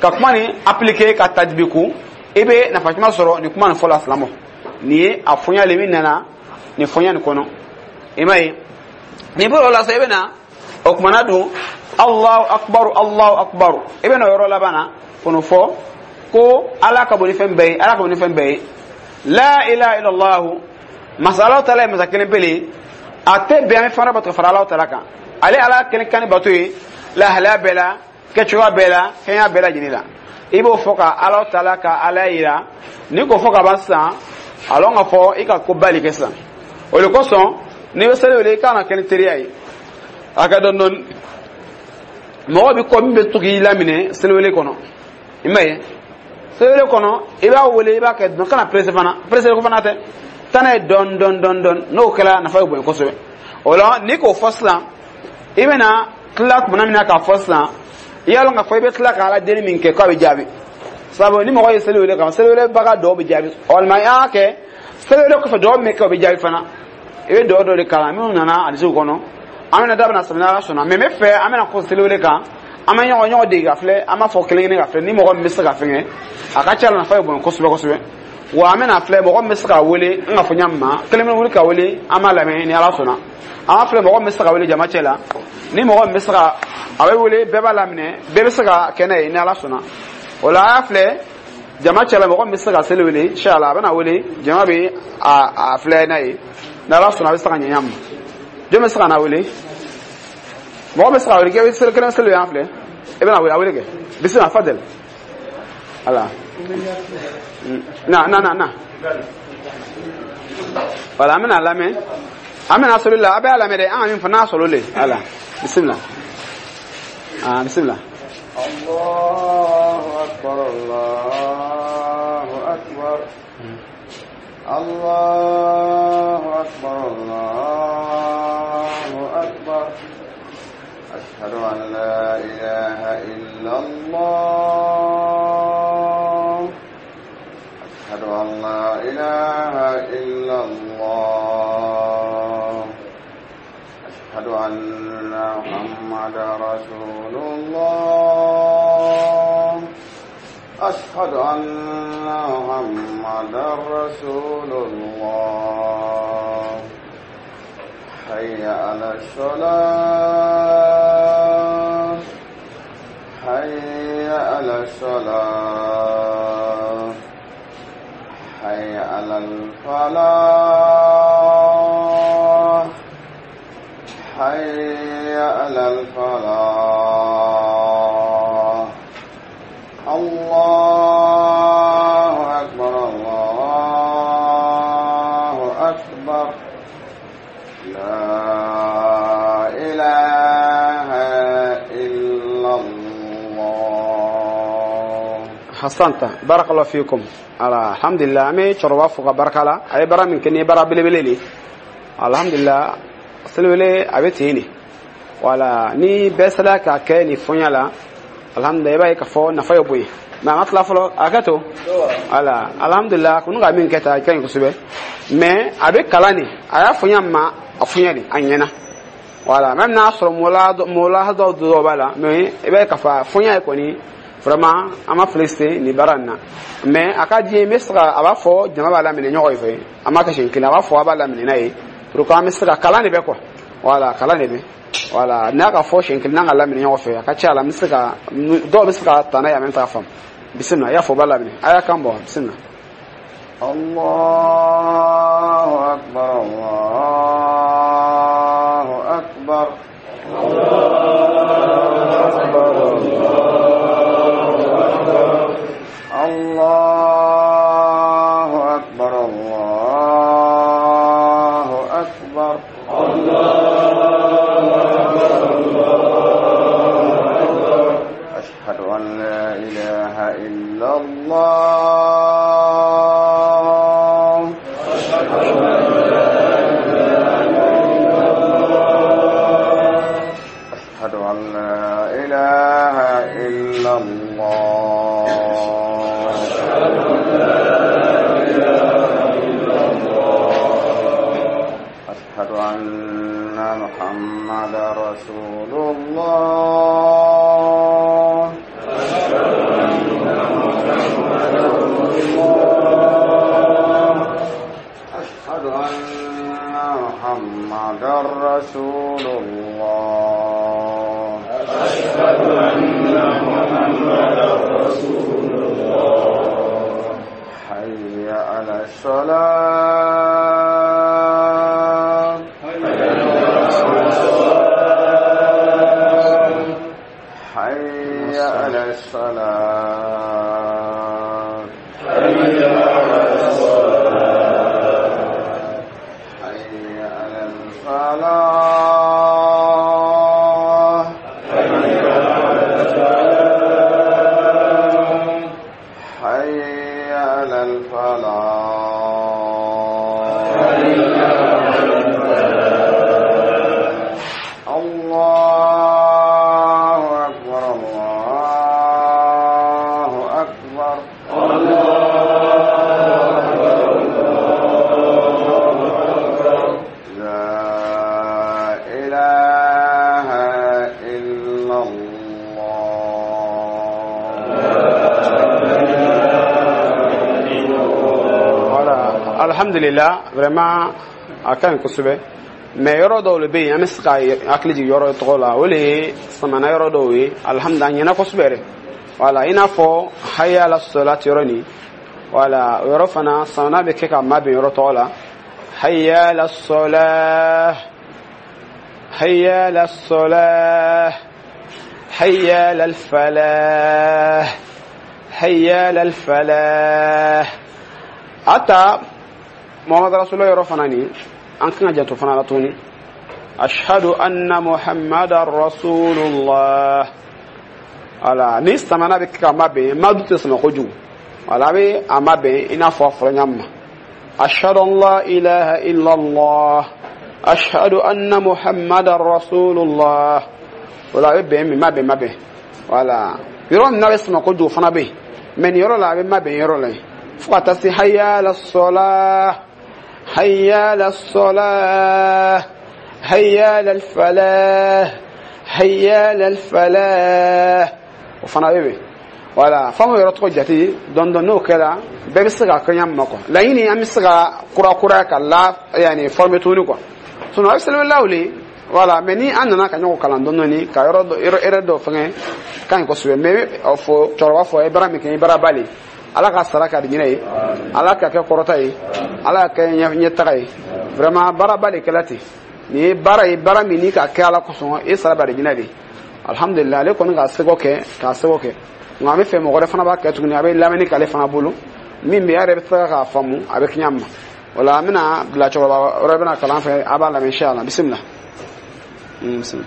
ka kuma nin appliquer ka tajibiku, i bɛ nafa caman sɔrɔ nin kuma nin fɔ la. Silamɛ, nin ye a fɔɲa le min nana nin fɔɲa nin kɔnɔ. I m'a ye, nin bɔra o la sisan, i bɛ na o kumana dun Allahu akbar, Allahu akbar. I bɛ na o yɔrɔ laban na k'o fɔ ko Ala ka bon ni fɛn bɛɛ ye, Ala ka bon ni fɛn bɛɛ ye. La ilaha illallah, masa Ala taala ye masa kelen pele, a tɛ bɛn an bɛ fɛn wɛrɛ bato fara Ala taala kan. Ale Ala kelen kan ni bato ye lahalaya bɛɛ la, kɛcogoya bɛɛ la, kɛɲɛ bɛɛ lajɛlen la. I b'o fɔ ka Ala taala ka Ala yira. Ni k'o fɔ ka ban sisan, a lɔn ka fɔ i ka ko bali kɛ sisan. O de kosɔn, n'i bɛ seli wele, i kan ka kɛ ni teriya ye, a ka dɔn dɔɔni. Mɔgɔ bɛ kɔ min bɛ to k'i laminɛ seliwele kɔnɔ, i m'a ye, seliwele kɔnɔ, i b'a wele, i b'a kɛ dɔn, kana pressé fana, pressé ko fana tɛ, taa n'a ye dɔɔni dɔɔni dɔɔni dɔɔni. N'o kɛra, nafa bɛ bonya kosɛbɛ. O la, n'i k'o fɔ sisan, i bɛna tila tuma min na k'a fɔ sisan, i y'a lɔn k'a fɔ i bɛ tila ka Ala deli min kɛ k'a bɛ jaabi. Sabu ni mɔgɔ ye seli wele kan, seli welebaga dɔw bɛ jaabi, walima i y'a kɛ seli wele kɔfɛ, dɔw min kɛ, o bɛ jaabi fana. I bɛ dɔw dɔ de kalan minnu nana hadisiw kɔnɔ. An bɛna da bɛna sɛbɛn, Ala sɔnna. Mɛ n bɛ fɛ an bɛna ko seli wele kan, an bɛ ɲɔgɔn dege ka filɛ, an b'a fɔ kelen kelen ka filɛ ni mɔgɔ min bɛ se ka fɛngɛ, a ka ca la nafa bɛ bonya kosɛbɛ kosɛbɛ. Wa an bɛna filɛ mɔgɔ min bɛ se ka wele, n ka fɔ ɲa ma kelen bɛ wuli ka wele, an b'a lamɛn ni Ala sɔnna. An b'a filɛ mɔgɔ min bɛ se ka wele jama cɛ la, ni mɔgɔ min bɛ se ka a bɛ wele, bɛɛ b'a laminɛ, bɛɛ bɛ se ka kɛ n'a ye ni Ala sɔnna. O la, a y'a filɛ jama cɛ la mɔgɔ min bɛ se ka seli wele, inshallah, a bɛna wele, jama bɛ a filɛ n'a ye ni Ala sɔnna, a bɛ se ka ɲɛ ɲa ma. Jɔn bɛ se ka na wele? Mɔgɔ bɛ se ka wele kɛ seli kelen seli yan filɛ, i bɛna wele, a wele kɛ, bisimila, fadel. Voilà, na na na na, voilà, an bɛna lamɛn, an bɛna sɔrɔ la, a bɛ a lamɛn dɛ, an ka min fɔ n'a sɔrɔ le. Voilà, bisimila, ah, bisimila. الله أكبر الله أكبر الله أكبر الله أكبر أشهد أن لا إله إلا الله أشهد أن لا إله إلا الله أشهد أن محمدا رسول الله أشهد أن محمدا رسول الله حي على الصلاة حي على الصلاة حي على الفلاح حي على الفلاح الله أكبر الله أكبر لا إله إلا الله. Hasanta, barakallahu fikum. Ala, alhamdulillah, an bɛ cɛkɔrɔba fo ka barika la. A ye baara min kɛ, nin ye baara belebele de ye. Alhamdulillah, seliwele a bɛ ten de. Wala ni bɛɛ sera k'a kɛ nin fɔɲa la, alhamdulillah, i b'a ye k'a fɔ nafa ye bonya. Mais a ma tila fɔlɔ, a kɛ to. Wala, alhamdulillah, kunu ka min kɛ tan, a ka ɲi kosɛbɛ. Mais a bɛ kalan de, a y'a fɔɲa ma, a fɔɲa de a ɲɛna. Wala même n'a sɔrɔ mɔla dɔw b'a la, mais i b'a ye k'a fɔ a fɔɲa ye kɔni, vraiment, an ma félicité nin baara nin na. Mais a ka di n ye, n bɛ se ka a b'a fɔ jama b'a laminɛ ɲɔgɔn fɛ. An b'a kɛ siɲɛ kelen, a b'a fɔ a b'a laminɛ n'a ye pour que an bɛ se ka kalan de bɛ quoi. Voilà, kalan de bɛ. Voilà, n'a ka fɔ siɲɛ kelen, n'an ka laminɛ ɲɔgɔn fɛ, a ka ca la, an bɛ se ka dɔw bɛ se ka ta n'a ye en même temps ka faamu. Bisimila, i y'a fɔ, o b'a laminɛ, a y'a kan bɔ, bisimila. الله أكبر الله أكبر الله أكبر الله أكبر أشهد أن لا إله إلا الله أشهد أن لا إله إلا الله أشهد أن محمدا رسول الله أشهد أن محمدا رسول الله أشهد أن محمدا رسول الله حي على الصلاة حي على الصلاة حي على الفلاح حي على الفلاح الله أكبر الله أكبر لا إله إلا الله. Voilà, alhamdulillah, vraiment a ka ɲi kosɛbɛ. Mais yɔrɔ dɔw le bɛ yen, an bɛ se ka hakili jigin yɔrɔ tɔgɔ la, o le ye samana yɔrɔ dɔw ye. Alhamdulillah, a ɲɛna kosɛbɛ yɛrɛ. Voilà, i n'a fɔ hayya ala salati yɔrɔ nin. Voilà, o yɔrɔ fana samana bɛ kɛ ka mabɛn yɔrɔ tɔgɔ la. Hayya ala salah, hayya ala salah, hayya ala falah, hayya ala falah. Ata Muhammad Rasulullah yɔrɔ fana nin, an kan ka janto fana la tuguni. Ashhadu anna Muhammadan Rasulullah. Wala ni samana bɛ kɛ ka mabɛn, madu tɛ sama kojugu. Wala a bɛ a mabɛn i n'a fɔ a fɔra ɲa min ma: ashhadu an la ilaha illallah, ashhadu anna muhammadan rasulullah. Wala a bɛ bɛn min mabɛn mabɛn. Wala yɔrɔ min n'a bɛ sama kojugu fana bɛ yen, mɛ nin yɔrɔ la, a bɛ mabɛn yɔrɔ la yen fo ka taa se hayya ala sɔla, hayya ala sɔla, hayya ala falah, hayya ala falah, o fana bɛ bɛn. Wala f'an k'o yɔrɔ tɔgɔ jate dɔɔni dɔɔni. N'o kɛra, bɛɛ bɛ se ka kɛ ɲa ma quoi. Laɲini, an bɛ se ka kura kura ka la yanni former tuguni quoi. Sinon a bɛ seliwelaw le. Voilà, mais ni an nana ka ɲɔgɔn kalan dɔɔni dɔɔni ka yɔrɔ dɔ, yɔrɔ erreur dɔ fɛngɛ ka ɲi kosɛbɛ. Mais fɔ cɛkɔrɔba fɔ, a ye baara min kɛ, i baara ba le. Ala ka sara ka di ɲinɛ ye, Ala ka kɛ kɔrɔta ye, Ala ka kɛ ɲɛtaga ye. Vraiment, baaraba de kɛla ten. Nin ye baara ye, baara min n'i ka kɛ Ala kosɔn, e sara ba de ɲinɛ de. Alhamdulilah, ale kɔni k'a seko kɛ, k'a seko kɛ. Nka an bɛ fɛ mɔgɔ wɛrɛ fana b'a kɛ tuguni, a bɛ lamɛnni k'ale fana bolo min bɛ a yɛrɛ bɛ se k'a faamu, a bɛ kɛ ma. O la, an bɛna bila cɛkɔrɔba wɛrɛ bɛna kalan fɛ, a b'a lamɛn inshallah. Bisimila, bisimila.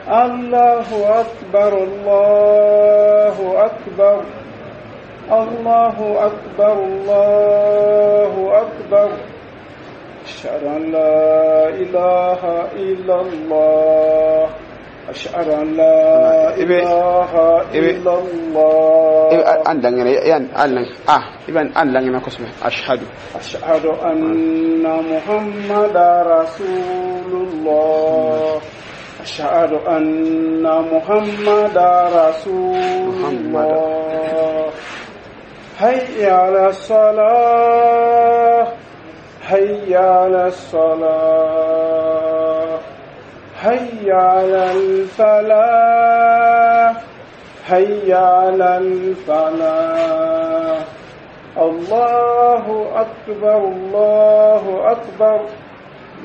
الله أكبر، الله أكبر، الله أكبر، الله أكبر. أشهد أن لا إله إلا الله، أشهد أن لا إله إلا الله. An langene yan, an lang ah, i bɛ an langene kosɛbɛ. Ashhadu. أشهد أن محمدا رسول الله، أشهد أن محمدا رسول الله. هيا على الصلاة، هيا على الصلاة، هيا على الفلاح، هيا على الفلاح. الله أكبر، الله أكبر،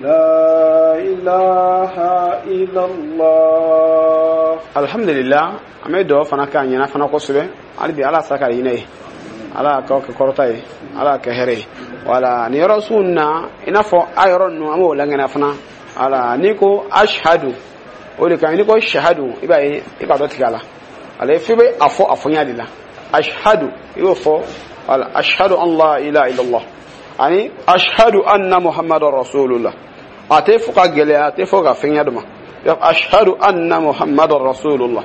لا إله إلا الله. Alhamdulillah, an bɛ dugawu fana k'a ɲɛna fana kosɛbɛ. Hali bi, Ala sa ka hinɛ ye, Ala k'aw kɛ kɔrɔta ye, Ala kɛ hɛrɛ ye. Wala nin yɔrɔ sugu na, i n'a fɔ a yɔrɔ ninnu, an b'o langɛnna fana. Wala n'i ko ashhadu, o de kan. N'i ko shahadu, i b'a ye i ka dɔ tigɛ a la. Ale f'i bɛ a fɔ a fɔɲa de la. Ashhadu, i y'o fɔ. Wala ashhadu an la ilaha illallah ani ashhadu anna muhammadar rasulullah. A tɛ fɔ ka gɛlɛya, a tɛ fɔ ka fɛngɛ dɔ ma. Ashhadu anna muhammadar rasulullah,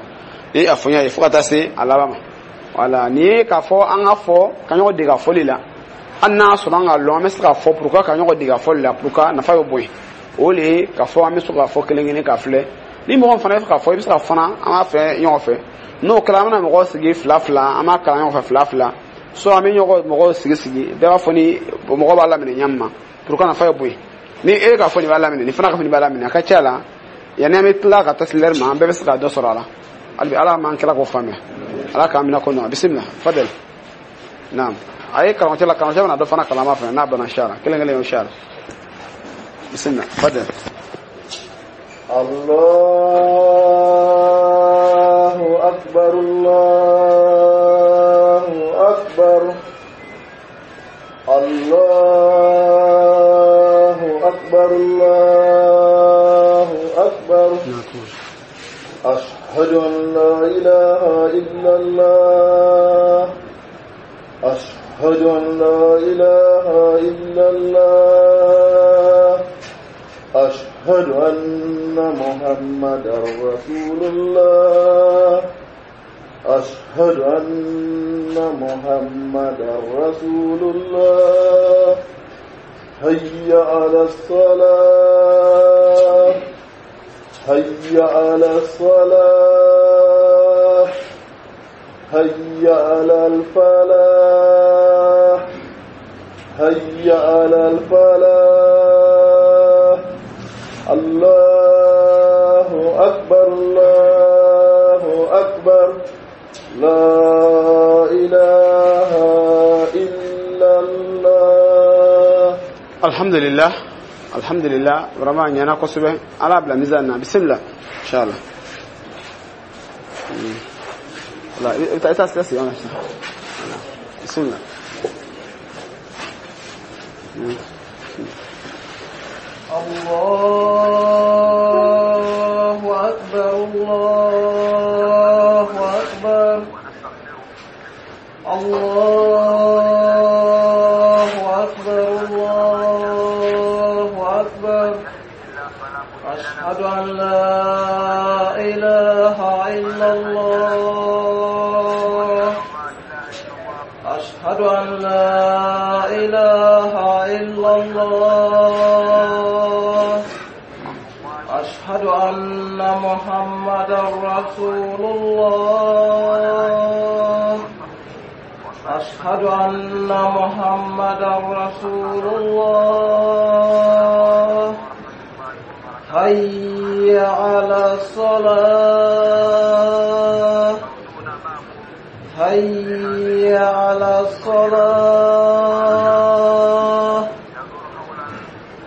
i a fɔɲa ye fo ka taa se a laban ma. Wala nin ye k'a fɔ an ka fɔ ka ɲɔgɔn dege a fɔli la. Hali n'a sɔrɔ an ka lɔn, an bɛ se k'a fɔ pour que ka ɲɔgɔn dege a fɔli la, pour que nafa bɛ bɔ yen. O de ye k'a fɔ an bɛ se k'a fɔ kelen kelen k'a filɛ. Ni mɔgɔ fana bɛ fɛ k'a fɔ, i bɛ se ka fana an b'a fɛ ɲɔgɔn fɛ. N'o kɛra, an bɛna mɔgɔw sigi fila fila, an b'a kalan ɲɔgɔn fɛ fila fila. So an bɛ ɲɔgɔn mɔgɔw sigi sigi, bɛɛ b'a fɔ ni mɔgɔ b'a laminɛ ɲɛ min ma, pour que nafa bɛ bɔ yen. Ni e k'a fɔ nin b'a laminɛ, nin fana k'a fɔ nin b'a laminɛ, a ka ca la, yanni an bɛ tila ka taa se lɛri ma, an bɛɛ bɛ se ka dɔ sɔrɔ a la. Hali bi, Ala m'an kɛra k'o faamuya, Ala k'an minɛ ko nɔ. Bisimila, fadel. Naam, a ye karamɔgɔcɛ la, karamɔgɔcɛ bɛna dɔ fana kalama fɛ n'a banna inshallah. Kelen kelen, inshallah. Bisimila, fadel. الله أكبر، الله أكبر، الله أكبر، الله أكبر. أشهد أن لا إله إلا الله، أشهد أن لا إله إلا الله، أشهد أن محمدا رسول الله، أشهد أن محمدا رسول الله. هيا على الصلاة، هيا على الصلاة، هيا على الفلاح، هيا على الفلاح. الله أكبر، الله أكبر، لا إله إلا الله. Alhamdulillah, alhamdulillah, vraiment a ɲɛna kosɛbɛ. Ala bila mizan na. Bisimila, inshallah. Wala i bɛ taa, i taa sigi yan sisan. Voilà, bisimila. الله أكبر، الله أكبر. أشهد أن لا إله إلا الله. أشهد أن محمدا رسول الله. أشهد أن محمدا رسول الله. حي على الصلاة. حي على الصلاة.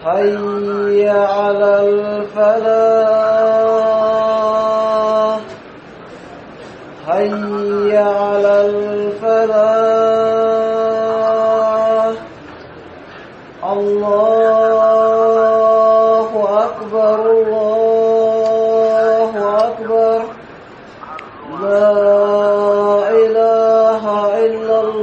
حي على الفلاح. حي على الفلاح. الله أكبر، الله أكبر، لا إله إلا الله.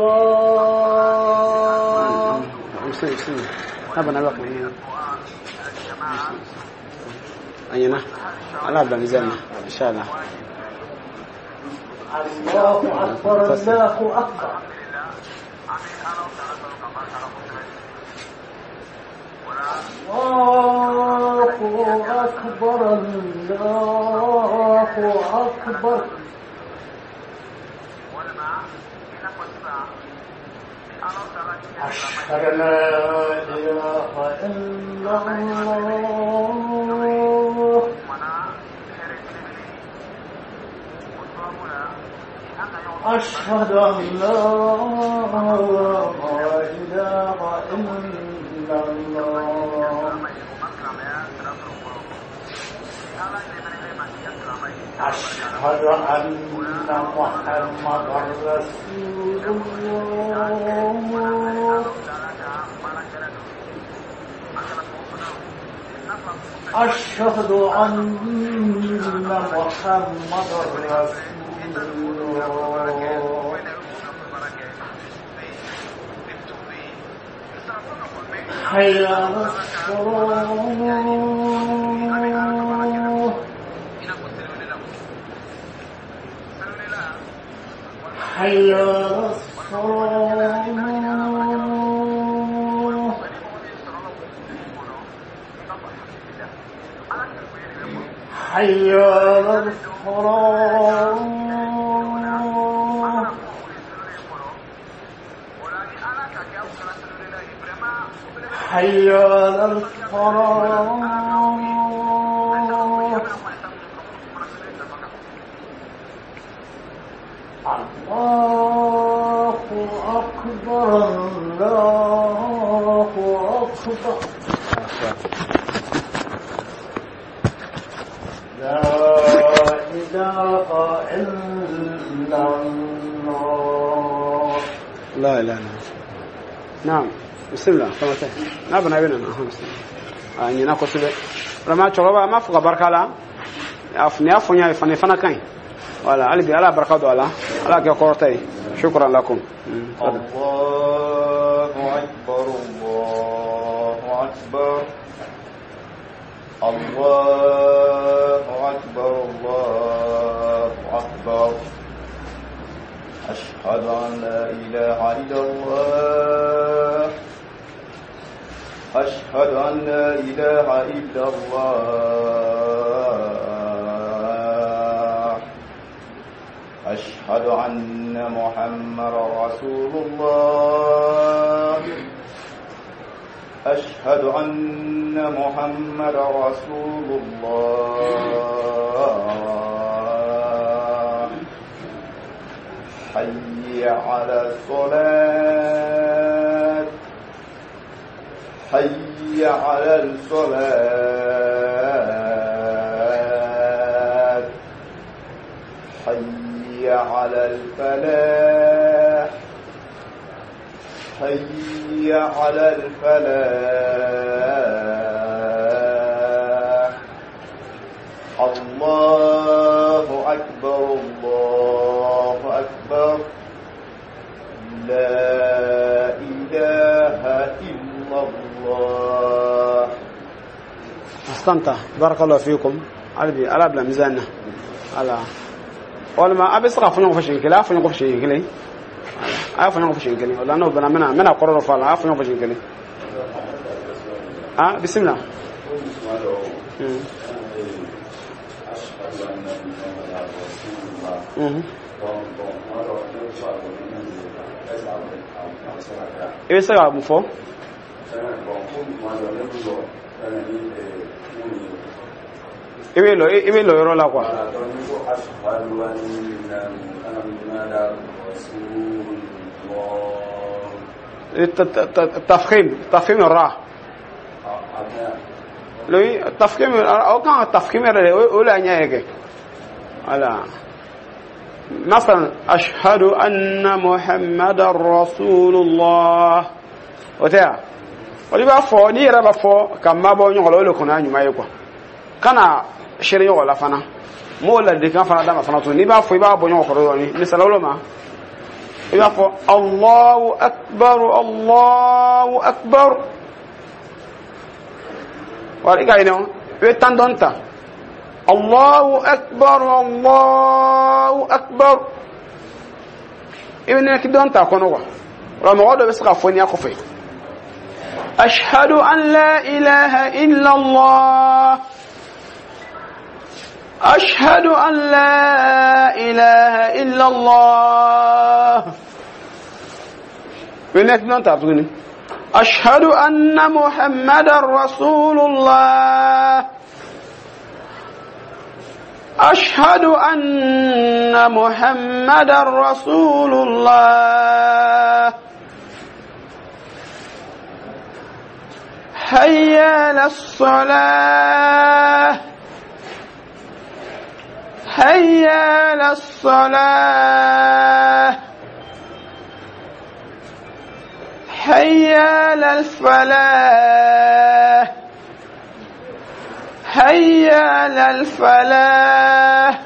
Anyana ala bila mizani na inshallah. الله أكبر، الله أكبر. الله أكبر، الله أكبر. أشهد أن لا إله إلا الله. أشهد أن لا إله إلا الله. أشهد أن محمدا رسول الله. أشهد أن محمدا رسول الله. حي على الصلاة. حي على الصلاة. حي على الصلاة. حي على الصلاة. الله أكبر، الله أكبر. لا إله إلا الله. لا إله إلا الله. نعم، بسم الله. N'a bana bɛ nana a ɲɛna kosɛbɛ. Vraiment, cɛkɔrɔba, an b'a fɔ ka barika la. Nin y'a fɔ n y'a ye fana, i fana ka ɲi. Voilà, hali bi Ala barika don a la, Ala kɛ kɔrɔta ye. Shukran lakum. الله أكبر، الله أكبر، الله أكبر، الله أكبر. أشهد أن لا إله إلا الله. أشهد أن لا إله إلا الله. أشهد أن محمدا رسول الله. أشهد أن محمدا رسول الله. حي على الصلاة. حي على الصلاة. حي على الفلاح. حي على الفلاح. الله أكبر، الله أكبر، لا إله إلا الله. أحسنت، بارك الله فيكم. Hali bi Ala bila mizan na. Ala walima a bɛ se ka fɔ ɲɔgɔn fɛ siɲɛ kelen, a fɔ ɲɔgɔn fɛ siɲɛ kelen. Voilà. A y'a fɔ ɲɔgɔn fɔ siɲɛ kelen. O la n'o banna, n bɛna kɔrɔ dɔ fɔ a la. A y'a fɔ ɲɔgɔn fɔ siɲɛ kelen. Ah, bisimila. I bɛ se ka mun fɔ? I bɛ lɔ yɔrɔ la quoi. Tafhim ra. Lui tafhim o kan tafhim yɛrɛ de o la ɲɛ ye kɛ. Voilà. مثلا أشهد أن محمد رسول الله. O tɛ wa? O i b'a fɔ n'i yɛrɛ b'a fɔ ka mabɔ ɲɔgɔn la, o de kɔni y'a ɲuman ye quoi. Kana seere ɲɔgɔn la fana. N b'o ladilikan fana d'a ma fana tuguni. N'i b'a fɔ i b'a bɔ ɲɔgɔn kɔrɔ dɔɔni. Misali wolo ma. I b'a fɔ Allahu akbar, Allahu akbar. Wala i ka ɲinɛ o. I bɛ tan dɔɔni ta. Allahu akbar, Allahu akbar. I bɛ ninakili dɔɔni ta a kɔnɔ quoi. O la mɔgɔ dɔ bɛ se ka fɔ n'i y'a kɔfɛ. Ashhadu an la ilaha illa Allah. أشهد أن لا إله إلا الله. أشهد أن محمد رسول الله. أشهد أن محمد رسول الله. هيا على الصلاة. هيا على الصلاة. هيا على الفلاح. هيا على الفلاح.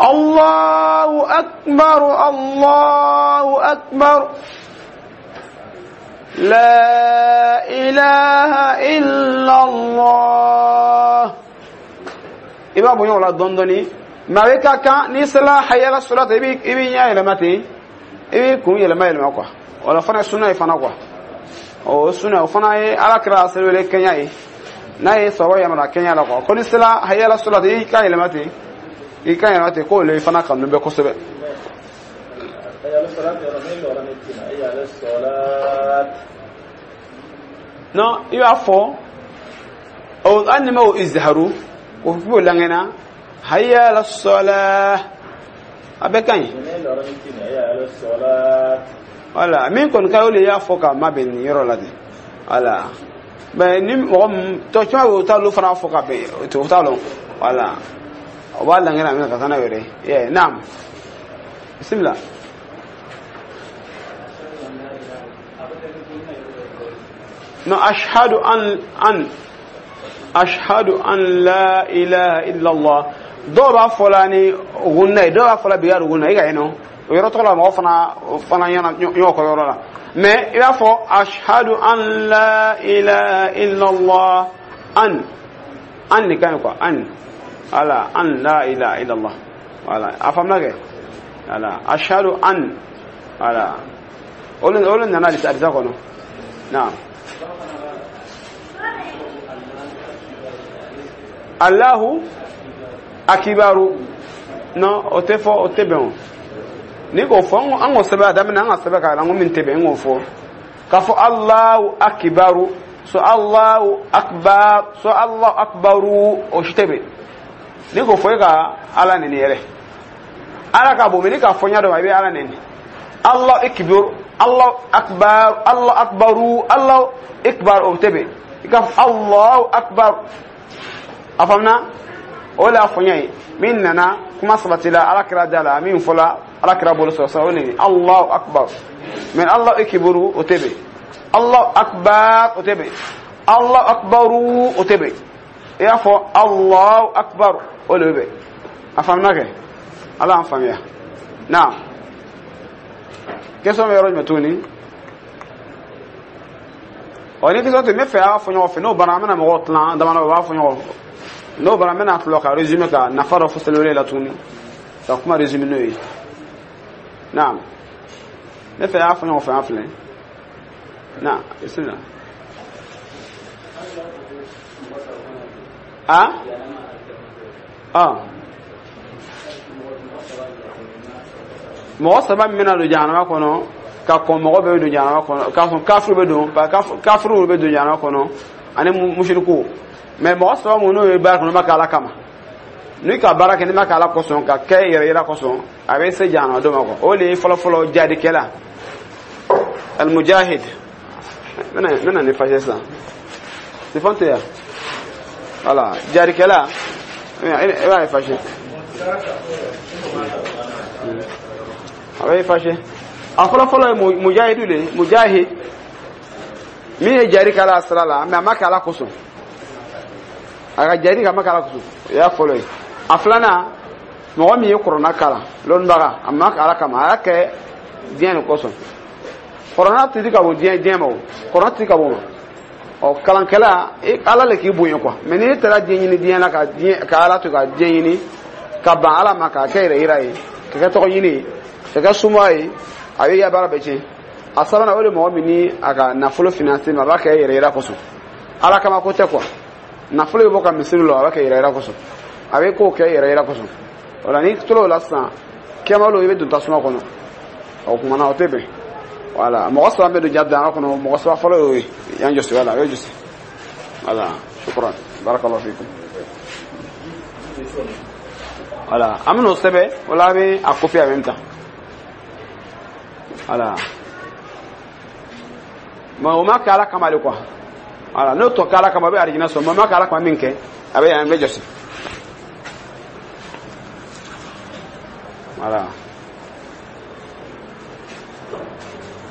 الله أكبر، الله أكبر. لا إله إلا الله. I b'a bɔ ɲɔgɔn la dɔɔni dɔɔni. Mɛ a bɛ ka kan n'i sera hayala sɔrɔ i b'i ɲɛ yɛlɛma ten, i b'i kun yɛlɛma yɛlɛma quoi. O la fana ye sunna ye fana quoi. O sunna o fana ye Ala kira seliwele kɛɲɛ ye. N'a ye sɔrɔ yamaruya kɛɲɛ la quoi. Ko n'i sera hayala sɔrɔ i ka yɛlɛma ten, i ka yɛlɛma ten, k'o le fana kanu bɛ kosɛbɛ. Non, i b'a fɔ o hali ni ma o izharu o b'o langɛnna hayya ala salah a bɛɛ ka ɲi. Voilà, min kɔni ka ɲi o de y'a fɔ k'a mabɛn nin yɔrɔ la de. Voilà, mais ni mɔgɔ min tɔ caman bɛ o t'olu fana fɔ ka bɛn o t'a lɔn. Voilà, o b'a langɛnna min ka taa n'a yɛrɛ ye. Naam, bisimila. Non, ashhadu an ashhadu an la ilaha illa Allah. Dɔw b'a fɔ la ni gunna ye, dɔw b'a fɔ la bigari gunna i ka yen nɔ. O yɔrɔ tɔgɔ la mɔgɔ fana ɲɛna ɲɔgɔn kɔ yɔrɔ la. Mais i b'a fɔ ashhadu an la ilaha illa Allah an de ka ɲi quoi, an. Voilà, an la ilaha illa Allah. Voilà, a faamuna kɛ. Voilà, ashhadu an. Voilà. O le nana hadisa kɔnɔ. Naam. Allahu akibaru. Non, o tɛ fɔ, o tɛ bɛn o. N'i k'o fɔ, an k'o sɛbɛn a daminɛ, an ka sɛbɛn k'a la, n ko min tɛ bɛn, n k'o fɔ. K'a fɔ Allahu akibaru, so Allahu akbar, so Allahu akbaru, o si tɛ bɛn. N'i k'o fɔ, e ka Ala nɛni yɛrɛ. Ala ka bon, mais n'i k'a fɔ ɲɛ dɔ ma, i bɛ Ala nɛni. Allahu akbar, Allahu akbar, Allahu akbaru, Allahu akbar, o tɛ bɛn. I ka fɔ Allahu akbar. A faamuna? O de y'a fɔ n ye min nana kuma sabatila Ala kira da la, min fɔla Ala kira bolo sɔrɔ sa, o de ye Allahu akbar. Mais Allahu akbaru o tɛ bɛn, Allahu akbar o tɛ bɛn, Allahu akbaru o tɛ bɛn. I y'a fɔ Allahu akbar o de bɛ bɛn. A faamuna kɛ? Ala y'an faamuya. Naam, question bɛ yɔrɔ jumɛn tuguni? Ɔ ni question tɛ, n bɛ fɛ a b'a fɔ ɲɔgɔn fɛ. N'o banna, an bɛna mɔgɔw tilan damadɔ, u b'a fɔ ɲɔgɔn fɛ. N'o banna, n bɛna tila ka résumé ka nafa dɔ fɔ seliwele la tuguni, ka kuma résumé n'o ye. Naam, ne fɛ y'a fɔ ɲɔgɔn fɛ an filɛ. Naam, bisimila. Ah ah, mɔgɔ saba min bɛna don jahanama kɔnɔ ka kɔn mɔgɔ bɛɛ bɛ don jahanama kɔnɔ, k'a sɔn kafiriw bɛ don, parce que kafiriw bɛ don jahanama kɔnɔ ani musiriku. Mais mɔgɔ saba mun n'o ye baara kɔnɔ ma kɛ Ala kama, n'i ka baara kɛ n'i ma kɛ Ala kosɔn, ka kɛ yɛrɛ yira kosɔn, a bɛ se jahanama don ma quoi. O de ye fɔlɔ fɔlɔ jadikɛla, almujahid. N bɛna nin fâché sisan, telefɔni tɛ yan. Voilà, jadikɛla i b'a ye fâché, a bɛ fâché. A fɔlɔ fɔlɔ ye mujahidu de ye, mujahid min ye jari kɛ Ala sira la, mais a ma kɛ Ala kosɔn, a ka jari ka ma kɛ Ala kosɔn, o y'a fɔlɔ ye. A filanan, mɔgɔ min ye kuranna kalan, lɔnnibaga, a ma kɛ Ala kama, a y'a kɛ diɲɛ de kosɔn. Kuranna tɛ di ka bɔ diɲɛ ma, o kuranna tɛ di ka bɔ o ma. Ɔ kalankɛla, Ala le k'i bonya quoi. Mais n'i taara diɲɛ ɲini diɲɛ la, ka diɲɛ ka Ala to ka diɲɛ ɲini ka ban Ala ma, k'a kɛ yɛrɛ yira ye, ka kɛ tɔgɔ ɲini ye, ka kɛ suma ye, a bɛ i ka baara bɛɛ tiɲɛ. A sabanan, o de mɔgɔ min ni a ka nafolo financer ma, a b'a kɛ yɛrɛ yira kosɔn, Ala kama ko tɛ quoi. Nafolo bɛ bɔ ka misiri la, a b'a kɛ yɛrɛ yira kosɔn, a bɛ kow kɛ yɛrɛ yira kosɔn. O la n'i tora o la sisan, kɛmalo i bɛ don tasuma kɔnɔ. O kuma na o tɛ bɛn. Voilà, mɔgɔ saba bɛ don jahanama kɔnɔ, mɔgɔ saba fɔlɔ y'o ye yan jɔsi. Voilà, a bɛ jɔsi. Voilà, shukran, barakallahu fikum. Voilà, an bɛn'o sɛbɛn o la, a bɛ a copier en même temps. Voilà, mais o ma kɛ Ala kama de quoi. Voilà, n'o tɔ kɛ Ala kama, a bɛ arijinɛ sɔrɔ. Mais o ma kɛ Ala kama min kɛ, a bɛ yan bɛ jɔsi. Voilà,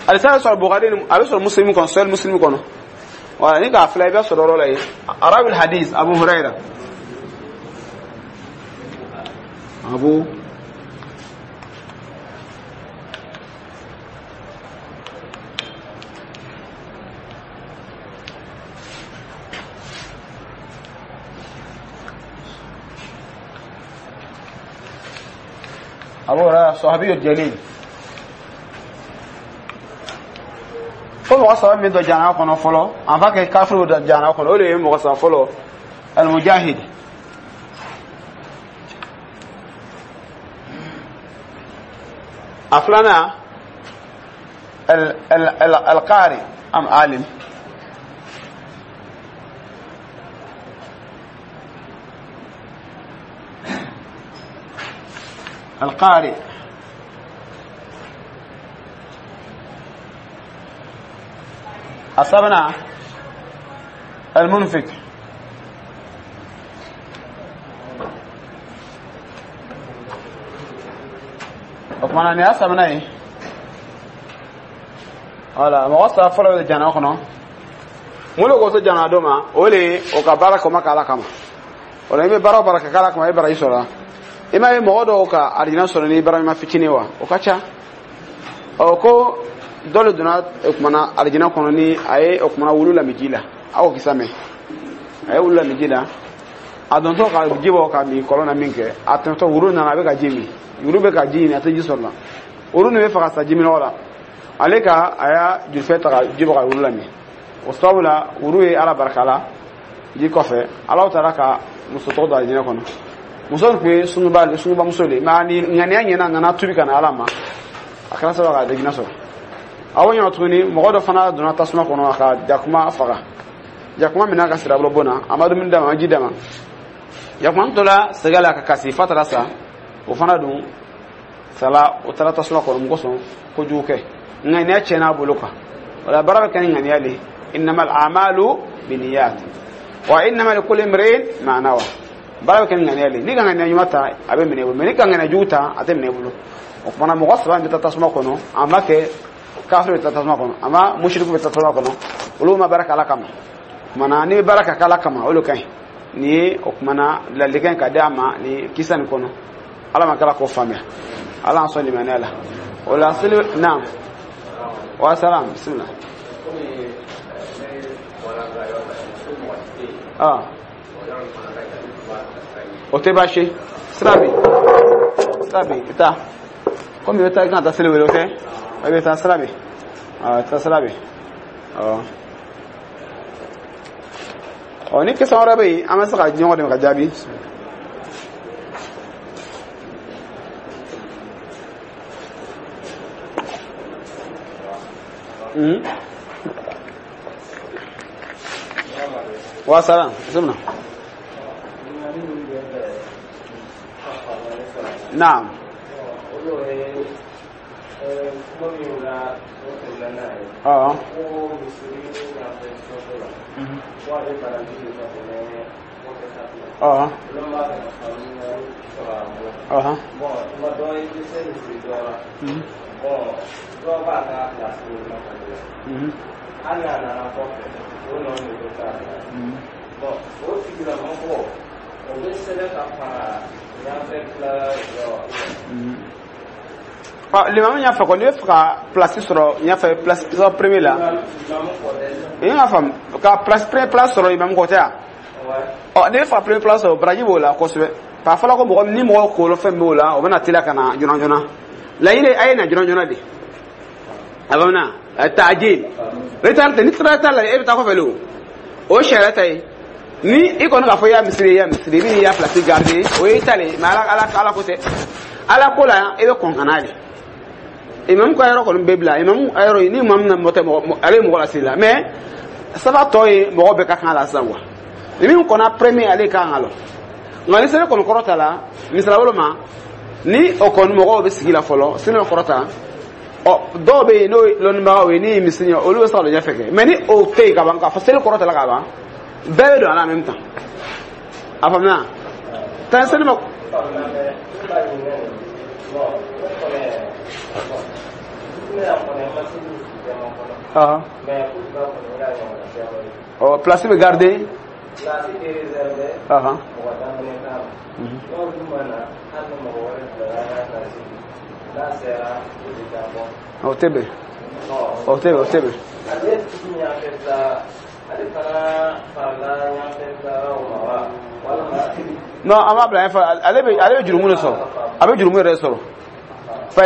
alisa bɛ sɔrɔ Bukhari, a bɛ sɔrɔ Muslim kɔnɔ, Sahih Muslim kɔnɔ. Voilà, ni k'a filɛ i bɛ sɔrɔ yɔrɔ la yen. Arawil hadith Abu Huraira, Abu Abu Huraira, sahabi jalil. Ko mɔgɔ saba min don jahanama kɔnɔ fɔlɔ, en va kɛ kafiriw don jahanama kɔnɔ, o de ye mɔgɔ saba fɔlɔ, almujahid. A filanan, alqari am alim. القارئ. السابعة المنفق. O kumana nin y'a sabanan ye. Wala, mɔgɔ saba fɔlɔ bɛ jahanama kɔnɔ, mun de ko se jahanama don ma? O de ye o ka baara kɛ, o ma kɛ Ala kama. O la i bɛ baara o baara kɛ k'Ala kama, i bɛ baraji sɔrɔ. I m'a ye mɔgɔ dɔw ka arijinɛ sɔrɔ ni baara ɲuman fitinin wa, o ka ca. Ɔ ko dɔ de donna o kumana arijinɛ kɔnɔ ni a ye o kumana wulu lamini ji la, aw kisa mɛn, a ye wulu lamini ji la, a dontɔ ka ji bɔ ka min kɔlɔn na min kɛ, a tɛmɛtɔ wulu nana, a bɛ ka ji min, wulu bɛ ka ji ɲini, a tɛ ji sɔrɔ la, wulu nin bɛ fɛ ka sa jiminɔgɔ la, ale ka a y'a julifɛ ta ka ji bɔ ka wulu lamin. O sababu la wulu ye Ala barika la ji kɔfɛ, Ala taara ka muso tɔgɔ don arijinɛ kɔnɔ. Muso nin tun ye sungubamuso de ye, mais ni ŋaniya ɲɛna, a nana tubi ka na Ala ma, a kɛra sababu ka arijinɛ sɔrɔ. A o ɲɛna tuguni, mɔgɔ dɔ fana donna tasuma kɔnɔ, a ka jakuma faga, jakuma minɛ ka sirabolo bon na, a ma dumuni d'a ma, a ma ji d'a ma, jakuma tora sɛgɛ la ka kasi f'a taara sa. O fana dun sala, o taara tasuma kɔnɔ. Mun kosɔn? Kojugu kɛ, ŋaniya tiɲɛna a bolo quoi. O la baara bɛ kɛ ni ŋaniya de ye. Innamal a'malu binniyat wa innama likulli imri'in ma nawa. Baara bɛ kɛ ni ŋaniya de ye. N'i ka ŋaniya ɲuman ta, a bɛ minɛ i bolo, mais n'i ka ŋaniya jugu ta, a tɛ minɛ i bolo. O kumana mɔgɔ saba bɛ taa tasuma kɔnɔ, a ma kɛ kafiri bɛ taa tasuma kɔnɔ, a ma musiriku bɛ taa tasuma kɔnɔ, olu ma baara kɛ Ala kama. O kumana n'i bɛ baara kɛ Ala kama, o de ka ɲi. Nin ye o kumana ladilikan ka di a ma nin kisa nin kɔnɔ. Ala ma kala k'o faamuya, Ala y'an sɔn limaniya la. O la seli naam wa salam, bisimila. Ah, o tɛ baasi ye, sira bɛ yen, sira bɛ yen, i taa. Komi i bɛ taa i kan ka taa seli wele o tɛ i bɛ taa sira bɛ taa sira bɛ ɔ ni question wɛrɛ bɛ yen an bɛ se ka ɲɔgɔn dɛmɛ ka jaabi. Wa salam bisimila. Naam. Limamu y'a fɔ ko n'i bɛ fɛ ka place sɔrɔ ɲɛfɛ place premier la i y'a faamu ka place premier place sɔrɔ imamu kɔ tɛ yan ɔ n'i bɛ fɛ ka premier place sɔrɔ baraji b'o la kosɛbɛ k'a fɔla ko mɔgɔ ni mɔgɔ kolo fɛn b'o la o bɛna teliya ka na joona joona laɲini a ye na joona joona de a bɛ na taajil retard tɛ ni sira t'a la e bɛ taa kɔfɛ le o sariya ta ye ni i kɔni k'a fɔ i y'a misiri i y'a misiri i bɛ n'i y'a place garder o ye i ta le ye mais ala ala ko tɛ ala ko la i bɛ kɔn ka n'a de. Imam ka yɔrɔ kɔni bɛ bila imam ka yɔrɔ ni imam na mɔgɔ tɛ mɔgɔ ale ye mɔgɔ laseli la mais saba tɔ ye mɔgɔ bɛɛ ka kan la sisan quoi ni min kɔnna premier ale ka kan ka lɔ nka ni seli kɔni kɔrɔta la misala bolo ma ni o kɔni mɔgɔw bɛ sigi la fɔlɔ seli kɔrɔta ɔ dɔw bɛ yen n'o ye lɔnnibagaw ye ni ye misiri ye olu bɛ se ka lɔ ɲɛfɛ kɛ mais ni o tɛ yen ka ban k'a fɔ seli kɔrɔta la ka ban bɛɛ bɛ don a la en même temps a faamuya tan seli ma. Oh, place bɛ garder. Place bɛ réservé. Mɔgɔ daminɛ kama. N'o dun ma na hali ni mɔgɔ wɛrɛ bilara n'a place n'a sera o de taa bɔ. O tɛ bɛn. O tɛ bɛn o tɛ bɛn. Ale tigi ɲɛfɛ sa ale fana farala ɲɛfɛ sa o ma wa walima. Non, an b'a bila ɲɛfɛ ale bɛ jurumu de sɔrɔ a bɛ jurumu yɛrɛ sɔrɔ.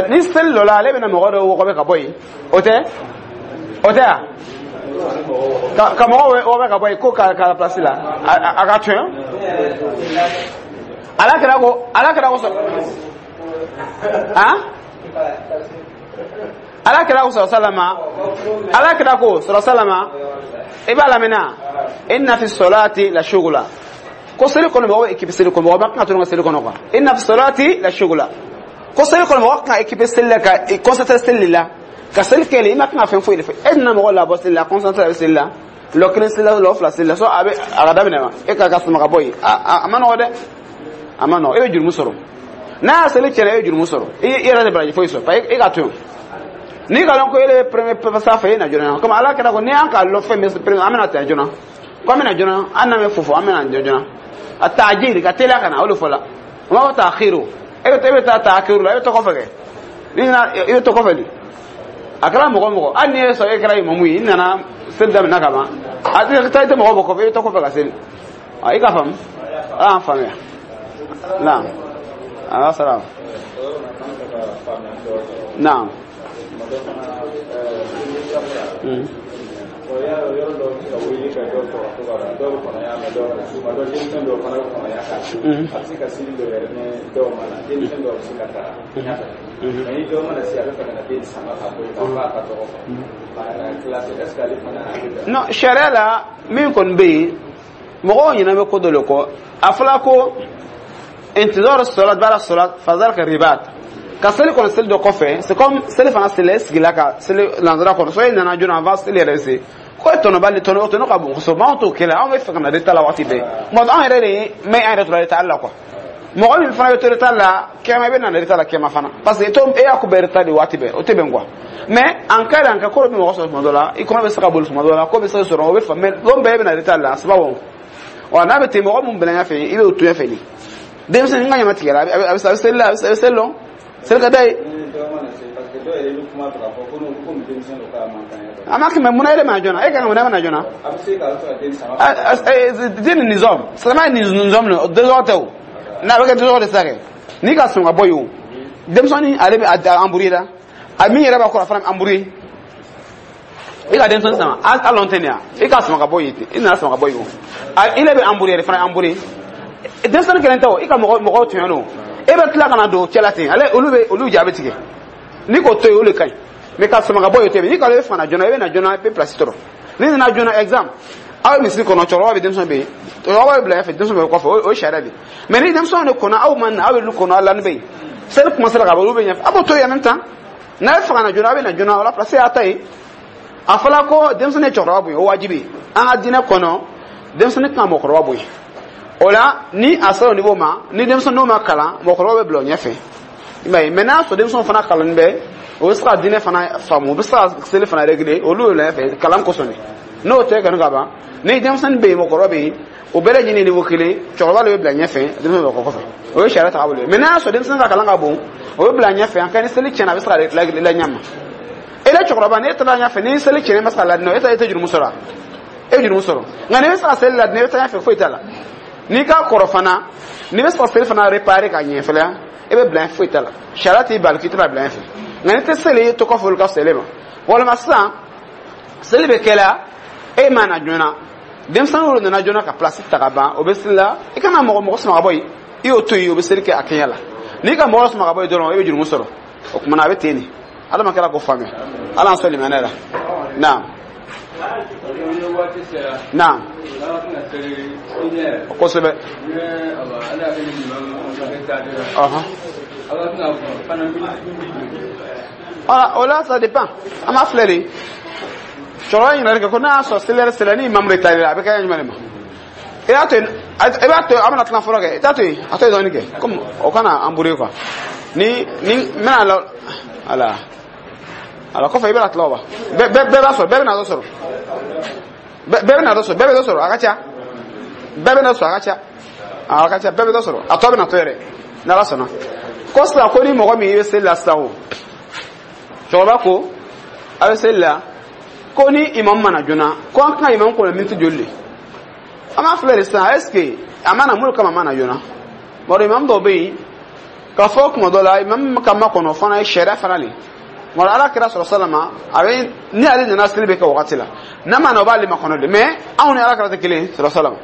Ni seli dɔ la ale bɛna mɔgɔ dɔ wɔgɔbɛ ka bɔ yen o tɛ o tɛ yan ka mɔgɔw wɔgɔbɛ ka bɔ yen ko ka place la a ka tiɲɛ ala kɛra ko han ala kɛra ko sɔrɔ salama ala kɛra ko sɔrɔ salama i b'a lamɛnna inna fi salati la shugula ko seli kɔnɔ mɔgɔ bɛ équipe seli kɔnɔ mɔgɔ b'a kan ka to ka seli kɔnɔ quoi inna fi salati la shugula ko seli kɔnɔ mɔgɔ kan équipe seli la ka concentré seli la ka seli kɛ i ma kan ka fɛn foyi de fɛ e nana mɔgɔ labɔ seli la concentré bɛ seli la lɔ kelen seli la lɔ fila seli la so a bɛ a ka daminɛ ma e ka suma ka bɔ yen a ma nɔgɔ dɛ a ma nɔgɔ e bɛ jurumu sɔrɔ n'a y'a seli tiɲɛna e bɛ jurumu sɔrɔ i yɛrɛ tɛ baraji foyi sɔrɔ parce que e ka to yen n'i ka lɔn ko e bɛ premier sa fɛ e na joona komi ala kɛra ko n'i y'an ka lɔ fɛn min premier an bɛna tɛmɛ joona ko an bɛna joona an n'an bɛ fofo an bɛna joona a taajiri ka teliya ka na o de fɔ la o b'a fɔ taakiru e bɛ taa taakiru la e bɛ to kɔfɛ kɛ n'i nana i bɛ to kɔfɛ de a kɛra mɔgɔ mɔgɔ hali n'i ye sɔrɔ e kɛra imamu ye i nana seli daminɛ ka ban a tɛ taa i tɛ mɔgɔ bɔ kɔfɛ i bɛ to kɔfɛ ka seli i ka faamu ala y'an faamuya naam ala salam naam. Non, sariya la min kɔni bɛ yen mɔgɔw ɲinɛ bɛ ko dɔ de kɔ a fɔra ko intizar salat ba'da salat fazalika ribat ka seli kɔni seli dɔ kɔfɛ c'est comme seli fana seli e sigila ka seli lansara kɔnɔ so e nana joona avant seli yɛrɛ se ko e tɔnɔ b'ale tɔnɔ ka bon kosɛbɛ anw t'o kɛlɛ anw bɛ fɛ ka na retard la waati bɛɛ mɔgɔ anw yɛrɛ de ye mɛ an yɛrɛ tora retard la quoi mɔgɔ min fana bɛ to retard la kɛmɛ i bɛ na retard la kɛmɛ fana parce que e y'a ko bɛɛ retard de waati bɛɛ o tɛ bɛn quoi mais en cas d'en cas ko dɔ bɛ mɔgɔ sɔrɔ tuma dɔ la i kɔnɔ bɛ se ka boli tuma dɔ la ko bɛ se ka sɔrɔ o bɛ faamu mais don bɛɛ bɛ na retard la c'est pas bon wa n'a bɛ ten mɔgɔ mun bila ɲɛfɛ i bɛ o to ɲɛfɛ de denmisɛnnin ka ɲama tigɛra a bɛ seli la a bɛ seli lɔn seli ka d'a ye. A ma kɛmɛ munna e de ma joona e kan ka munna e ma na joona. Den ni nizɔm silamɛya ni nizɔm de désordre tɛ o n'a bɛ kɛ désordre de sisan kɛ n'i ka sɔn ka bɔ yen o Denmisɛnnin, ale bɛ a embrouiller la, a min yɛrɛ b'a kɔrɔ, a fana bɛ embrouiller. I ka denmisɛnnin sama a lɔn tɛ nin ya, i k'a sama ka bɔ yen ten, i nana sama ka bɔ yen o, a i le bɛ embrouiller yɛrɛ fana embrouiller. Denmisɛnnin kelen tɛ o, i ka mɔgɔ mɔgɔw tɔɲɔ don, e bɛ tila ka na don cɛ la ten, ale olu bɛ olu ja bɛ tigɛ. N'i k'o to yen, o de ka ɲi. Mais ka sama ka bɔ yen o tɛ yen. N'i ka e fana joona, i bɛ na joona, i bɛ place sɔrɔ. N'i nana joona, exemple, aw bɛ misiri kɔnɔ, cɛkɔrɔba bɛ, denmisɛn bɛ yen, cɛkɔrɔba bɛ bila ɲɛfɛ, denmisɛn bɛ kɔfɛ, o ye sariya de ye. Mais ni denmisɛnw de kɔnɔ, aw ma na, aw bɛ lu kɔnɔ, aw lani bɛ yen, seli kuma sera ka ban, olu bɛ ɲɛfɛ, a b'o to yen. En même temps, n'a ye fɛ ka na joona, a bɛ na joona, o la place y'a ta ye. A fɔra ko denmisɛnnin ye cɛkɔrɔba bonya, o wajibi ye. An ka diinɛ kɔnɔ, denmisɛnnin kan ka mɔgɔkɔrɔba bonya. O la, ni a sera o niveau ma, ni denmisɛnnin n'o ma kalan, mɔgɔkɔrɔba bɛ bila o ɲɛfɛ, i m'a ye. Mais n'a sɔrɔ denmisɛnw fana kalannen bɛ, o bɛ se ka diinɛ fana faamu, u bɛ se ka seli fana réguler, olu bɛ bila ɲɛfɛ kalan kosɔn de. N'o tɛ kɔni ka ban, ni denmisɛnnin bɛ yen, mɔgɔkɔrɔba bɛ yen, o bɛɛ lajɛlen niveau kelen, cɛkɔrɔba de bɛ bila ɲɛfɛ, denmisɛnnin bɛ kɔfɛ, o ye sariya taabolo ye. Mais n'a y'a sɔrɔ denmisɛnnin ka kalan ka bon, o bɛ bila ɲɛfɛ, an ka ni seli tiɲɛna, a bɛ se ka la ɲɛ ma. E la cɛkɔrɔba, n'e taara ɲɛfɛ, ni seli tiɲɛna, e ma se ka ladinɛ, e ta e tɛ jurumu sɔrɔ, e bɛ jurumu sɔrɔ. Nka n'i bɛ se ka seli ladinɛ, e bɛ taa ɲɛfɛ, foyi t'a la. N'i ka kɔrɔ fana, n'i bɛ se ka seli fana réparer ka ɲɛ fɛnɛ, e bɛ bila ɲɛ, foyi t'a la. Sariya t'i bali k'i tɛna bila ɲɛfɛ. Nka n'i tɛ seli, i to kɔfɛ, olu ka seli ma. Walima sisan seli bɛ kɛ la, e ma na joona, denmisɛnninw nana joona ka place ta ka ban, o bɛ seli la, i kana mɔgɔ mɔgɔ sama ka bɔ yen, i y'o to yen, o bɛ seli kɛ a kɛɲɛ la. N'i ka mɔgɔ sama ka bɔ yen dɔrɔn, e bɛ jurumu sɔrɔ. O tuma na, a bɛ ten de. Ala ma kɛra k'o faamuya, Ala y'an sɔn limaniya la. Naam, naam, kosɛbɛ. Ɔhɔn, voilà, o la, ça dépend. An b'a filɛ de, cɛkɔrɔba ɲininkali kɛ ko n'a y'a sɔrɔ seli yɛrɛ sera ni imamu de ta la, a bɛ kɛ jumɛn de ma? I b'a to yen, i b'a to yen, an bɛna tila fɔlɔ kɛ, i t'a to yen, a to yen dɔɔnin kɛ, comme o kana embrouiller quoi. Ni n bɛna la, ala ala kɔfɛ, i bɛna tila o wa, bɛɛ bɛɛ b'a sɔrɔ, bɛɛ bɛna dɔ sɔrɔ, bɛɛ bɛna dɔ sɔrɔ, bɛɛ bɛ dɔ sɔrɔ, a ka ca, bɛɛ bɛna sɔrɔ, a ka ca, a ka ca, bɛɛ bɛ dɔ sɔrɔ, a tɔ bɛna to yɛrɛ n'Ala sɔnna. Ko sisan, ko ni mɔgɔ min i bɛ seli la sisan, o cɛkɔrɔba ko a bɛ seli la, ko ni imamu mana joona, ko an kan ka imamu kɔnɔ miniti joli de? An b'a filɛ de sisan, est ce que a mana mun kama a mana joona? Bari imamu dɔw bɛ yen k'a fɔ kuma dɔ la, imamu ka makɔnɔ fana ye sariya fana le. Wala Ala kira sɔrɔ salama, a bɛ ni ale nana, seli bɛ kɛ wagati la, n'a ma na, o b'ale makɔnɔ de. Mais anw ni Ala kira tɛ kelen sɔrɔ salama.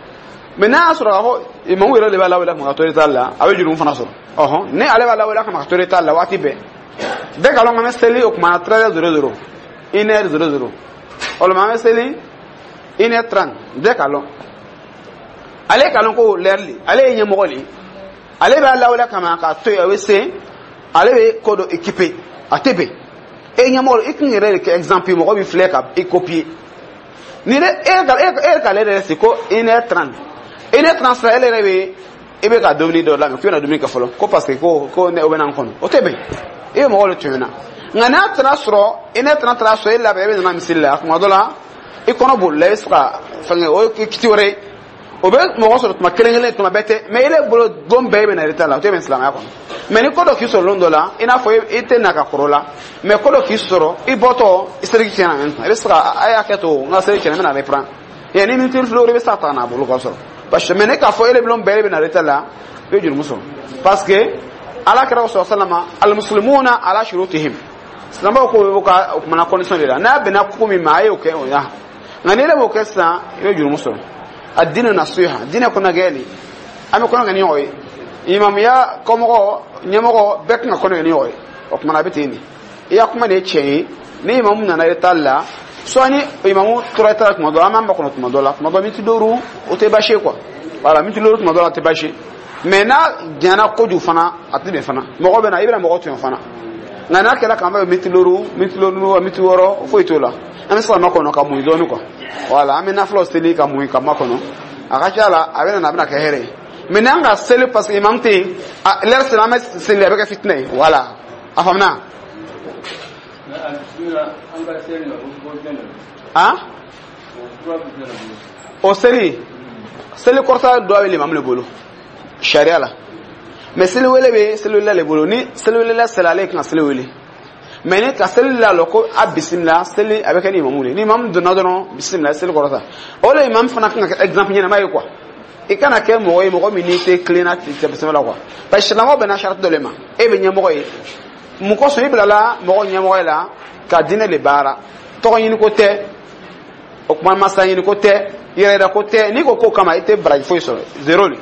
Mais n'a y'a sɔrɔ k'a fɔ imamu yɛrɛ de b'a lawele ka to retard la, a bɛ jurumu fana sɔrɔ. Ɔhɔn, ni ale b'a lawele ka to retard la waati bɛɛ, bɛɛ ka lɔn k'an bɛ seli o tuma na 13h00, 1h00, walima an bɛ seli 1h30, bɛɛ ka lɔn, ale ka lɔn ko l'heure le, ale ye ɲɛmɔgɔ le, ale b'a lawele kama k'a to yen, a bɛ se, ale bɛ ko dɔ équipé, a tɛ bɛn. E ɲɛmɔgɔ, i kun yɛrɛ de kɛ exemple, mɔgɔ b'i filɛ ka i copier. Ni ne e ka e k'ale yɛrɛ sigi ko 1h30, 1h30 sera, e yɛrɛ bɛ i bɛ ka dumuni dɔ labɛn k'i bɛna dumuni kɛ fɔlɔ, ko parce que ko ne o bɛ na n kɔnɔ, o tɛ bɛn, i bɛ mɔgɔw de tɔɲɔ na. Nka n'a taara sɔrɔ 1h30 taara sɔrɔ e labɛn, e bɛ nana misiri la, kuma dɔ la i kɔnɔ bolila, i bɛ se ka fɛnkɛ, o ye kiti wɛrɛ ye. O bɛ mɔgɔ sɔrɔ tuma kelen kelen, tuma bɛɛ tɛ. Mais e bolo don bɛɛ e bɛ na retard la, o tɛ bɛn silamɛya kɔnɔ. Mais ni ko dɔ k'i sɔrɔ lon dɔ la, i n'a fɔ i tɛ na ka kɔrɔ la, mais ko dɔ k'i sɔrɔ, i bɔtɔ i seliji tiɲɛna, même i bɛ se ka a y'a kɛ to n ka seli tiɲɛna, n bɛna reprendre yanni miniti fila, i bɛ se ka ta n'a bolo ka sɔrɔ. Parce que mais ne k'a fɔ e de bolo bɛɛ e bɛ na retard la, i bɛ jurumu sɔrɔ, parce que Ala kɛra sɔrɔ salama, almuslimuna ala shurutihim, silamɛw ko bɛ ka o kumana condition de la, n'a bɛnna ko min ma, a y'o kɛ o ya. Nka ni e b'o kɛ sisan, i bɛ jurumu sɔrɔ. Addinu nasiha, diinɛ kɔnɔ gɛlɛn, an bɛ kɔnɔ kɛ ni ɲɔgɔn ye, imamuya kɔmɔgɔ ɲɛmɔgɔ bɛɛ kan ka kɔnɔ kɛ ni ɲɔgɔn ye. O kumana a bɛ ten de, i ya kuma de ye tiɲɛ ye. Ni imamu nana retard la, soit ni imamu tora retard la tuma dɔ la, an b'an makɔnɔ tuma dɔ la, tuma dɔ miniti 5, o tɛ baasi ye quoi. Voilà, miniti 5 tuma dɔ la o tɛ baasi ye. Mais n'a janyana kojugu fana, a tɛ bɛn fana, mɔgɔ bɛ na, i bɛna mɔgɔ tɔɲɔ fana. Nka n'a kɛra k'an bɛ miniti 5, miniti 5, miniti 6, foyi t'o la, an bɛ se ka makɔnɔ ka muɲu dɔɔni quoi. Voilà, an bɛ nafilaw seli ka muɲu ka makɔnɔ, a ka ca la a bɛ na, a bɛna kɛ hɛrɛ ye. Mais n'an ka seli parce que imam tɛ yen, l'heure sera, an bɛ seli, a bɛ kɛ fitinɛ ye. Voilà, a faamuna? Han, o seli, seli kɔrɔta dɔ bɛ limamu de bolo sariya la, mais seli wele bɛ seli welela le bolo. Ni seli welela sera, ale kan ka seli wele. Mais ni ka seli la lɔ ko a bisimila seli, a bɛ kɛ ni imamu de ye. Ni imamu donna dɔrɔn, bisimila, seli kɔrɔta. O de imamu fana kan ka kɛ exemple ɲɛnama ye quoi. I kana kɛ mɔgɔ ye, mɔgɔ min n'i tɛ tilenna tɛmɛ la quoi, parce que silamɛw bɛnna sarati dɔ le ma. E bɛ ɲɛmɔgɔ ye mun kosɔn? I bilala mɔgɔ ɲɛmɔgɔ la ka diinɛ le baara. Tɔgɔ ɲini ko tɛ, o kuma masa ɲini ko tɛ, yɛrɛ ko tɛ. N'i ko k'o kama, i tɛ baraji foyi sɔrɔ, zéro le.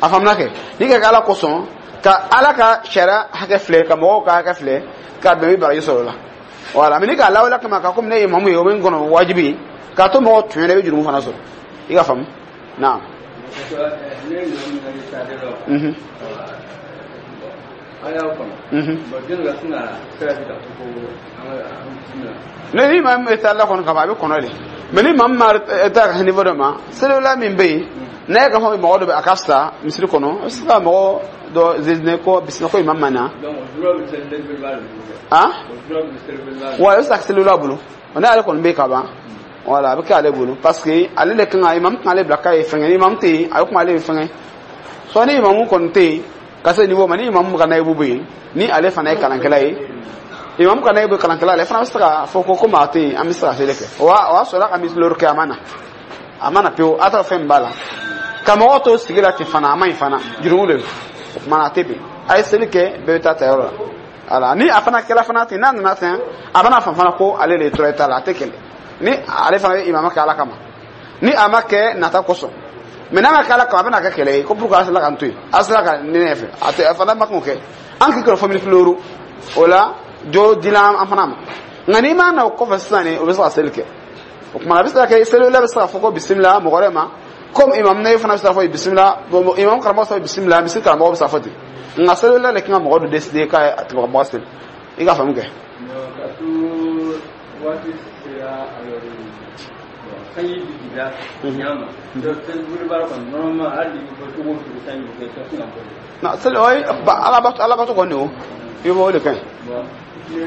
A faamuna kɛ? N'i ka kɛ Ala kosɔn, ka Ala ka sariya hakɛ filɛ, ka mɔgɔw ka hakɛ filɛ, ka bɛn, i bɛ baraji sɔrɔ o la. Wala mais n'i k'a lawaleya kama ka komi ne ye imamu ye, o bɛ n kɔnɔ wajibi k'a to mɔgɔw tun yɛrɛ, i bɛ jurumu fana sɔrɔ. I ka faamu naam. Ne ni maa min bɛ taa la kɔnɔ ka ban, a bɛ kɔnɔ de. Mais ni maa min ma taa ka niveau dɔ ma, selila min bɛ yen, n'a ye k'a fɔ mɔgɔ dɔ bɛ, a ka fisa misiri kɔnɔ, a bɛ se ka mɔgɔ dɔ désigner ko bisimila, ko imam ma na. Ah, wa a bɛ se ka selila bolo, n'ale kɔni bɛ yen ka ban, wala a bɛ kɛ ale bolo, parce que ale de kan ka imam kan, ale bila k'a ye fɛngɛ. Ni imam tɛ yen, a bɛ kuma ale ye fɛngɛ. Soit ni imamu kɔni tɛ yen ka se niveau ma, ni imamu ka nayibu bɛ yen, ni ale fana ye kalankɛla ye, imamu ka nayibu kalankɛla, ale fana bɛ se ka fɔ ko komi a tɛ yen, an bɛ se ka seli kɛ. O y'a sɔrɔ a ka misiri kɛ, a ma na, a ma na pewu. A t'a fɛn min b'a la ka mɔgɔw to sigi la ten fana, a ma ɲi fana, jurumu de don. O kuma na, a tɛ bɛn. A ye seli kɛ, bɛɛ bɛ taa ta yɔrɔ la. Wala ni a fana kɛla fana ten, n'a nana ten, a bɛna fɔ fana ko ale de ye tora ta la, a tɛ kɛlɛ. Ni ale fana bɛ imama kɛ Ala kama, ni a ma kɛ nata kosɔn, mais n'a ma kɛ Ala kama, a bɛna kɛ kɛlɛ ye ko pour que a sera ka n to yen, a sera ka ne ɲɛfɛ, a tɛ a fana ma k'o kɛ. An k'i kɔrɔ fɔ miniti 5 o la, jo dila an fana ma. Nka n'i ma na o kɔfɛ sisan, ni o bɛ se ka seli kɛ, o kuma a bɛ se ka kɛ selila bɛ se ka fɔ ko bisimila mɔgɔ wɛrɛ ma, comme imam ne fana bɛ se ka fɔ bisimila, imam karamɔgɔ bɛ se ka fɔ bisimila, misiri karamɔgɔ bɛ se ka fɔ ten. Nka selila de kan ka mɔgɔ dɔ décider k'a a tigɛ ka bɔ seli. I ka faamu kɛ. Waati sera, sanji bi jigin ɲa ma, seli baara kɔni, normalement, hali ni bɔ cogo o cogo, sanji bɛ kɛ, tɛ se ka bɔ. Na seli o ye Ala bato, Ala bato kɔni, o i b'o de kɛ. Bon, ni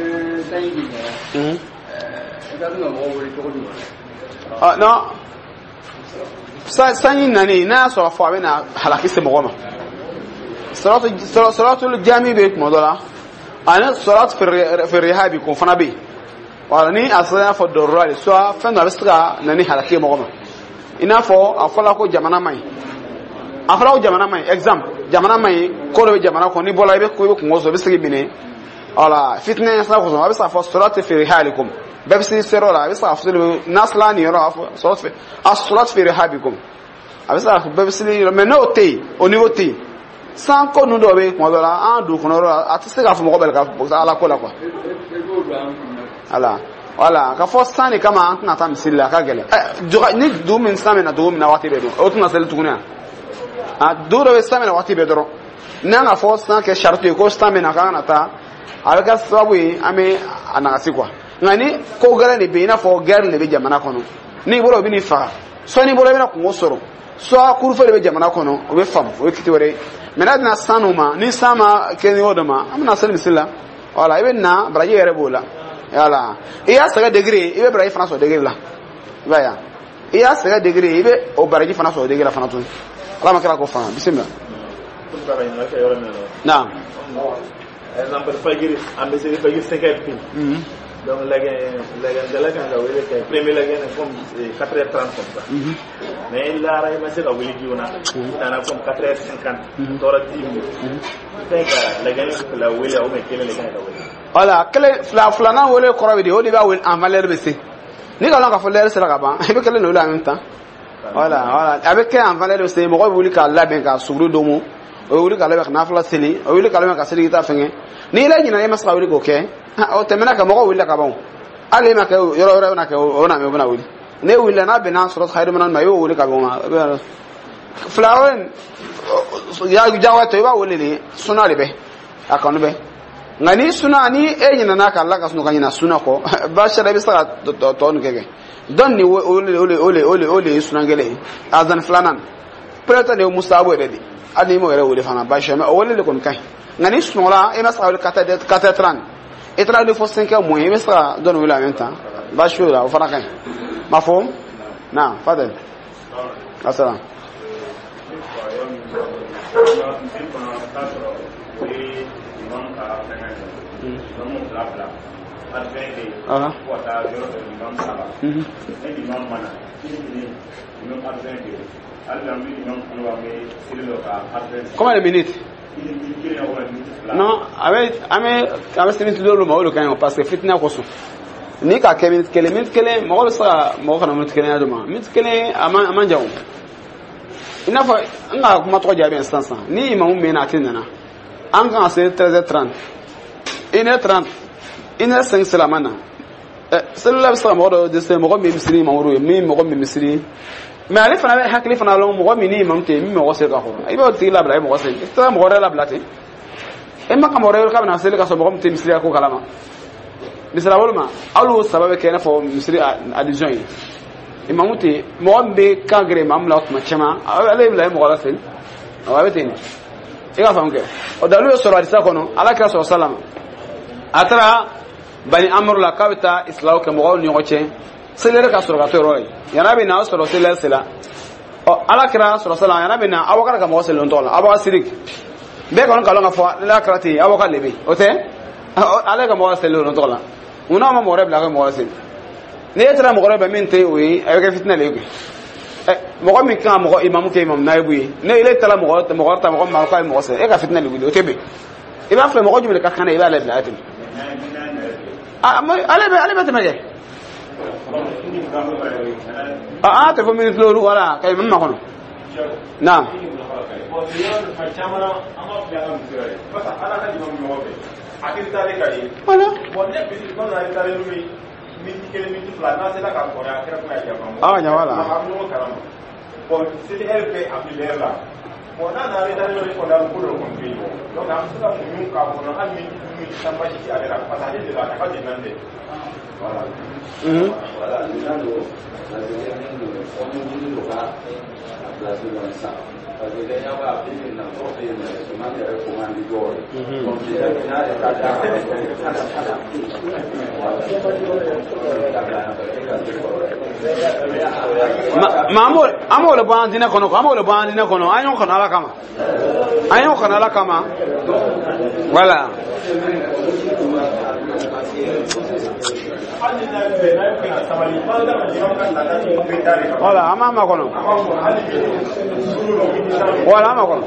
sanji bi jigin, i ka se ka mɔgɔw wele cogo jumɛn? Ah non, sanji nani, n'a y'a sɔrɔ fɔ a bɛna halaki se mɔgɔ ma, salatul jami bɛ tuma dɔ la, ani salat fi rihabi k'o fana bɛ yen. Wala ni a sera, i n'a fɔ dɔrɔra de, soit fɛn dɔ a bɛ se ka na ni halaki ye mɔgɔ ma, i n'a fɔ a fɔra ko jamana man ɲi, a fɔra ko jamana man ɲi, exemple, jamana man ɲi, ko dɔ bɛ jamana kɔnɔ, n'i bɔra i bɛ kungo sɔrɔ, i bɛ se k'i minɛ. Wala fitinɛ ɲɛsira kosɔn, a bɛ se k'a fɔ salat fi rihalikum, bɛɛ bɛ se seyɔrɔ la, a bɛ se k'a fɔ n'a sera nin yɔrɔ, a fɔ salat fi, a salat fi rihabikum, a bɛ se k'a fɔ bɛɛ bɛ seli yɔrɔ. Mais n'o tɛ yen, o niveau tɛ yen, san ko ninnu dɔw bɛ yen, kuma dɔ la an dugu kɔnɔ yɔrɔ la, a tɛ se k'a fɔ mɔgɔ bɛɛ ka fɔ Ala ko la quoi. E b'o don an kun na. Wala ka fɔ san de kama an tɛna taa misiri la, a ka gɛlɛn. Ɛ ni dugu min san bɛ na dugu min na waati bɛɛ dun, o tɛna seli tuguni. A dugu dɔ bɛ san bɛ na waati bɛɛ dɔrɔn, n'an ka fɔ san kɛ sariti ye ko san bɛ na k'an kana taa, a bɛ kɛ sababu ye an bɛ a nagasi quoi. Nka ni ko gɛlɛn de bɛ yen, i n'a fɔ guerre de bɛ jamana kɔnɔ, n'i bɔra o bɛ n'i faga, soit n'i bɔra i bɛna kungo sɔrɔ, soit couvre-feu de bɛ jamana kɔnɔ, o bɛ faamu, o ye kiti wɛrɛ ye. Mais n'a bɛna san n'o ma, ni san ma kɛ niveau dɔ ma, an bɛna seli misiri la. Wala i bɛ na, baraji yɛrɛ b'o la. Wala i y'a sɛgɛ degré, i bɛ baraji fana sɔrɔ degré la. I b'a ye wa, i y'a sɛgɛ degré, i bɛ o baraji fana sɔrɔ degré la fana tuguni. Ala ma kira k'o faamu. Bisimila. Naam. Exemple, fajiri, an bɛ seli fajiri 5 heures pile. Donc lɛgɛndala kan ka wele kɛ premier lɛgɛn comme 4 heures 30 comme ça. Mais lara i ma se ka wuli joona, i nana comme 4 heures 50, tɔɔrɔ 10 minutes, i ka ɲi ka lɛgɛn fila wele ou bien kelen de ka ɲi ka wele? Wala kelen, fila, filanan wele kɔrɔ bɛ di? O de b'a wele avant l'heure bɛ se. N'i ka lɔn k'a fɔ l'heure sera ka ban, i bɛ kelen de wele en même temps. Wala a bɛ kɛ avant l'heure bɛ se, mɔgɔ bɛ wuli k'a labɛn ka suguri domo, o bɛ wuli k'a labɛn ka nafila seli, o bɛ wuli k'a labɛn ka seli, k'i ta fɛngɛ. N'i la ɲinɛ, e ma se ka wuli k'o kɛ, o tɛmɛna ka mɔgɔw wulila ka ban. Hali e ma kɛ yɔrɔ wɛrɛ bɛna kɛ, o na mɛ o bɛna wuli. Ne wulila n'a bɛnna sɔrɔ hayiru ma, i y'o wuli ka bɛn o ma. Fila o jagoya tɛ, i b'a wele de, suna de bɛ a kanu bɛ. Nka ni suna, ni e ɲinɛna ka la ka sunɔgɔ ka ɲina suna kɔ, baasi tɛ, i bɛ se ka tɔ nin kɛ dɔn ni o le ye suna kelen ye. Azan filanan peut-être de ye musabu yɛrɛ de, hali n'i m'o yɛrɛ wele fana, baasi tɛ, mais o wele de kɔni ka ɲi. Nka ni sunɔgɔla, e ma se ka wele 4h30, i taara wuli fo 5h moins, i bɛ se ka dɔ nin wele en même temps, baasi foyi la, o fana ka ɲi. Mafhum? Naam, fadal. Assalam. Misiri kɔnɔ, t'a sɔrɔ o ye imam ka fɛngɛ ye, imamu fila fila. adjoint kɛ yen fo ka taa yɔrɔ dɔ imam saba ne imam ma na kini imam adjoint kɛ yen hali bi an bɛ imam kɔnɔ an bɛ seli dɔ ka adjoint. Combien de minutes? Non, a bɛ se minute 5 ma, o de ka ɲi, parce que fitinɛ kosɔn. Ni k'a kɛ minute 1, minute 1, mɔgɔ bɛ se ka mɔgɔ kana minute 1 d'o ma. Minute 1 a man jan o. I n'a fɔ n ka kuma tɔgɔ jaabi yan sisan sisan. Ni imamu mɛnna a tɛ nana. An kan ka se 13h30. 1h30, 1h05 sera a ma na. Selila bɛ se ka mɔgɔ dɔ dɛsɛ, mɔgɔ min bɛ misiri imamu ye, min mɔgɔ min bɛ misiri. Mais ale fana bɛ hakili fana lɔn mɔgɔ min ni imamu tɛ yen, min mɔgɔ seli ka kɔrɔ. I b'o tigi labila, i mɔgɔ seli. I tɛ taa mɔgɔ wɛrɛ labila ten. E ma ka mɔgɔ wɛrɛ k'a bɛna seli ka sɔrɔ mɔgɔ min tɛ misiri ko kalama. Misali bolo ma, hali o saba bɛ kɛ i n'a fɔ misiri addition ye. Imamu tɛ yen, mɔgɔ min bɛ kan gɛrɛ imamu la tuma caman, ale bɛ bila mɔgɔ la seli. Awɔ, a bɛ ten de. I ka faamu kɛ. O dalilu bɛ sɔrɔ hadisa kɔnɔ, Ala kira sɔrɔ salama. A taara Bani Amuru la k'a bɛ taa isilawu kɛ mɔgɔw ni ɲɔgɔn cɛ. Selɛri ka sɔrɔ ka to yɔrɔ ye. Yan'a bɛ na, o sɔrɔ selɛri sela. Ɔ, Ala kira sɔrɔ salama, yan'a bɛ na, Abubakar ka mɔgɔ selilen tɔgɔ la, Abubakar Sidik. Bɛɛ kɔni k'a lɔn k'a fɔ ala kira tɛ yen, Abubakar de bɛ yen. O tɛ? Ale ka mɔgɔ selilen tɔgɔ la. Mun n'a ma mɔgɔ wɛrɛ bila a ka mɔgɔ seli? Ni e taara mɔgɔ wɛrɛ bila min tɛ o ye, a bɛ kɛ fitinɛ de ye koyi. Mɔgɔ min kan ka mɔgɔ imamu kɛ imamu nayibu ye, ne ele taara mɔgɔ wɛrɛ ta mɔgɔ min ma k'a ye mɔgɔ seli, e ka fitinɛ de wuli, o tɛ bɛn. I b'a filɛ mɔgɔ jumɛn de ka kan i b'ale bila a tɛmɛ. Ale bɛ tɛmɛ kɛ. A tɛ fɔ miniti 5 wala ka imamu makɔnɔ. Naam. Voilà. Ah, ɲa wala. Bon, seli heure bɛ a bi l'heure la. Bon, n'a nana retard yɔrɔ kɔni a bɛ ko dɔ kɔni bɛ yen. Donc an bɛ se ka muɲu k'a kɔnɔ hali ni minute 10 baasi tɛ ale la parce que ale de la a ka di nan tɛ. Voilà. Voilà, maintenant don parce que min don comme wuli don ka a place dɔn sisan. Parce que ɲɛ b'a bi bi in na dɔw bɛ yen nɔ imam yɛrɛ commande dɔw ye. Donc déjà n'a yɛrɛ ta d'a kan. Ma an b'o de bɔ an diinɛ kɔnɔ quoi, an b'o de bɔ an diinɛ kɔnɔ, an y'o kanu Ala kama. An y'o kanu Ala kama. Voilà. Voilà, an b'a makɔnɔ. Voilà, an makɔnɔ.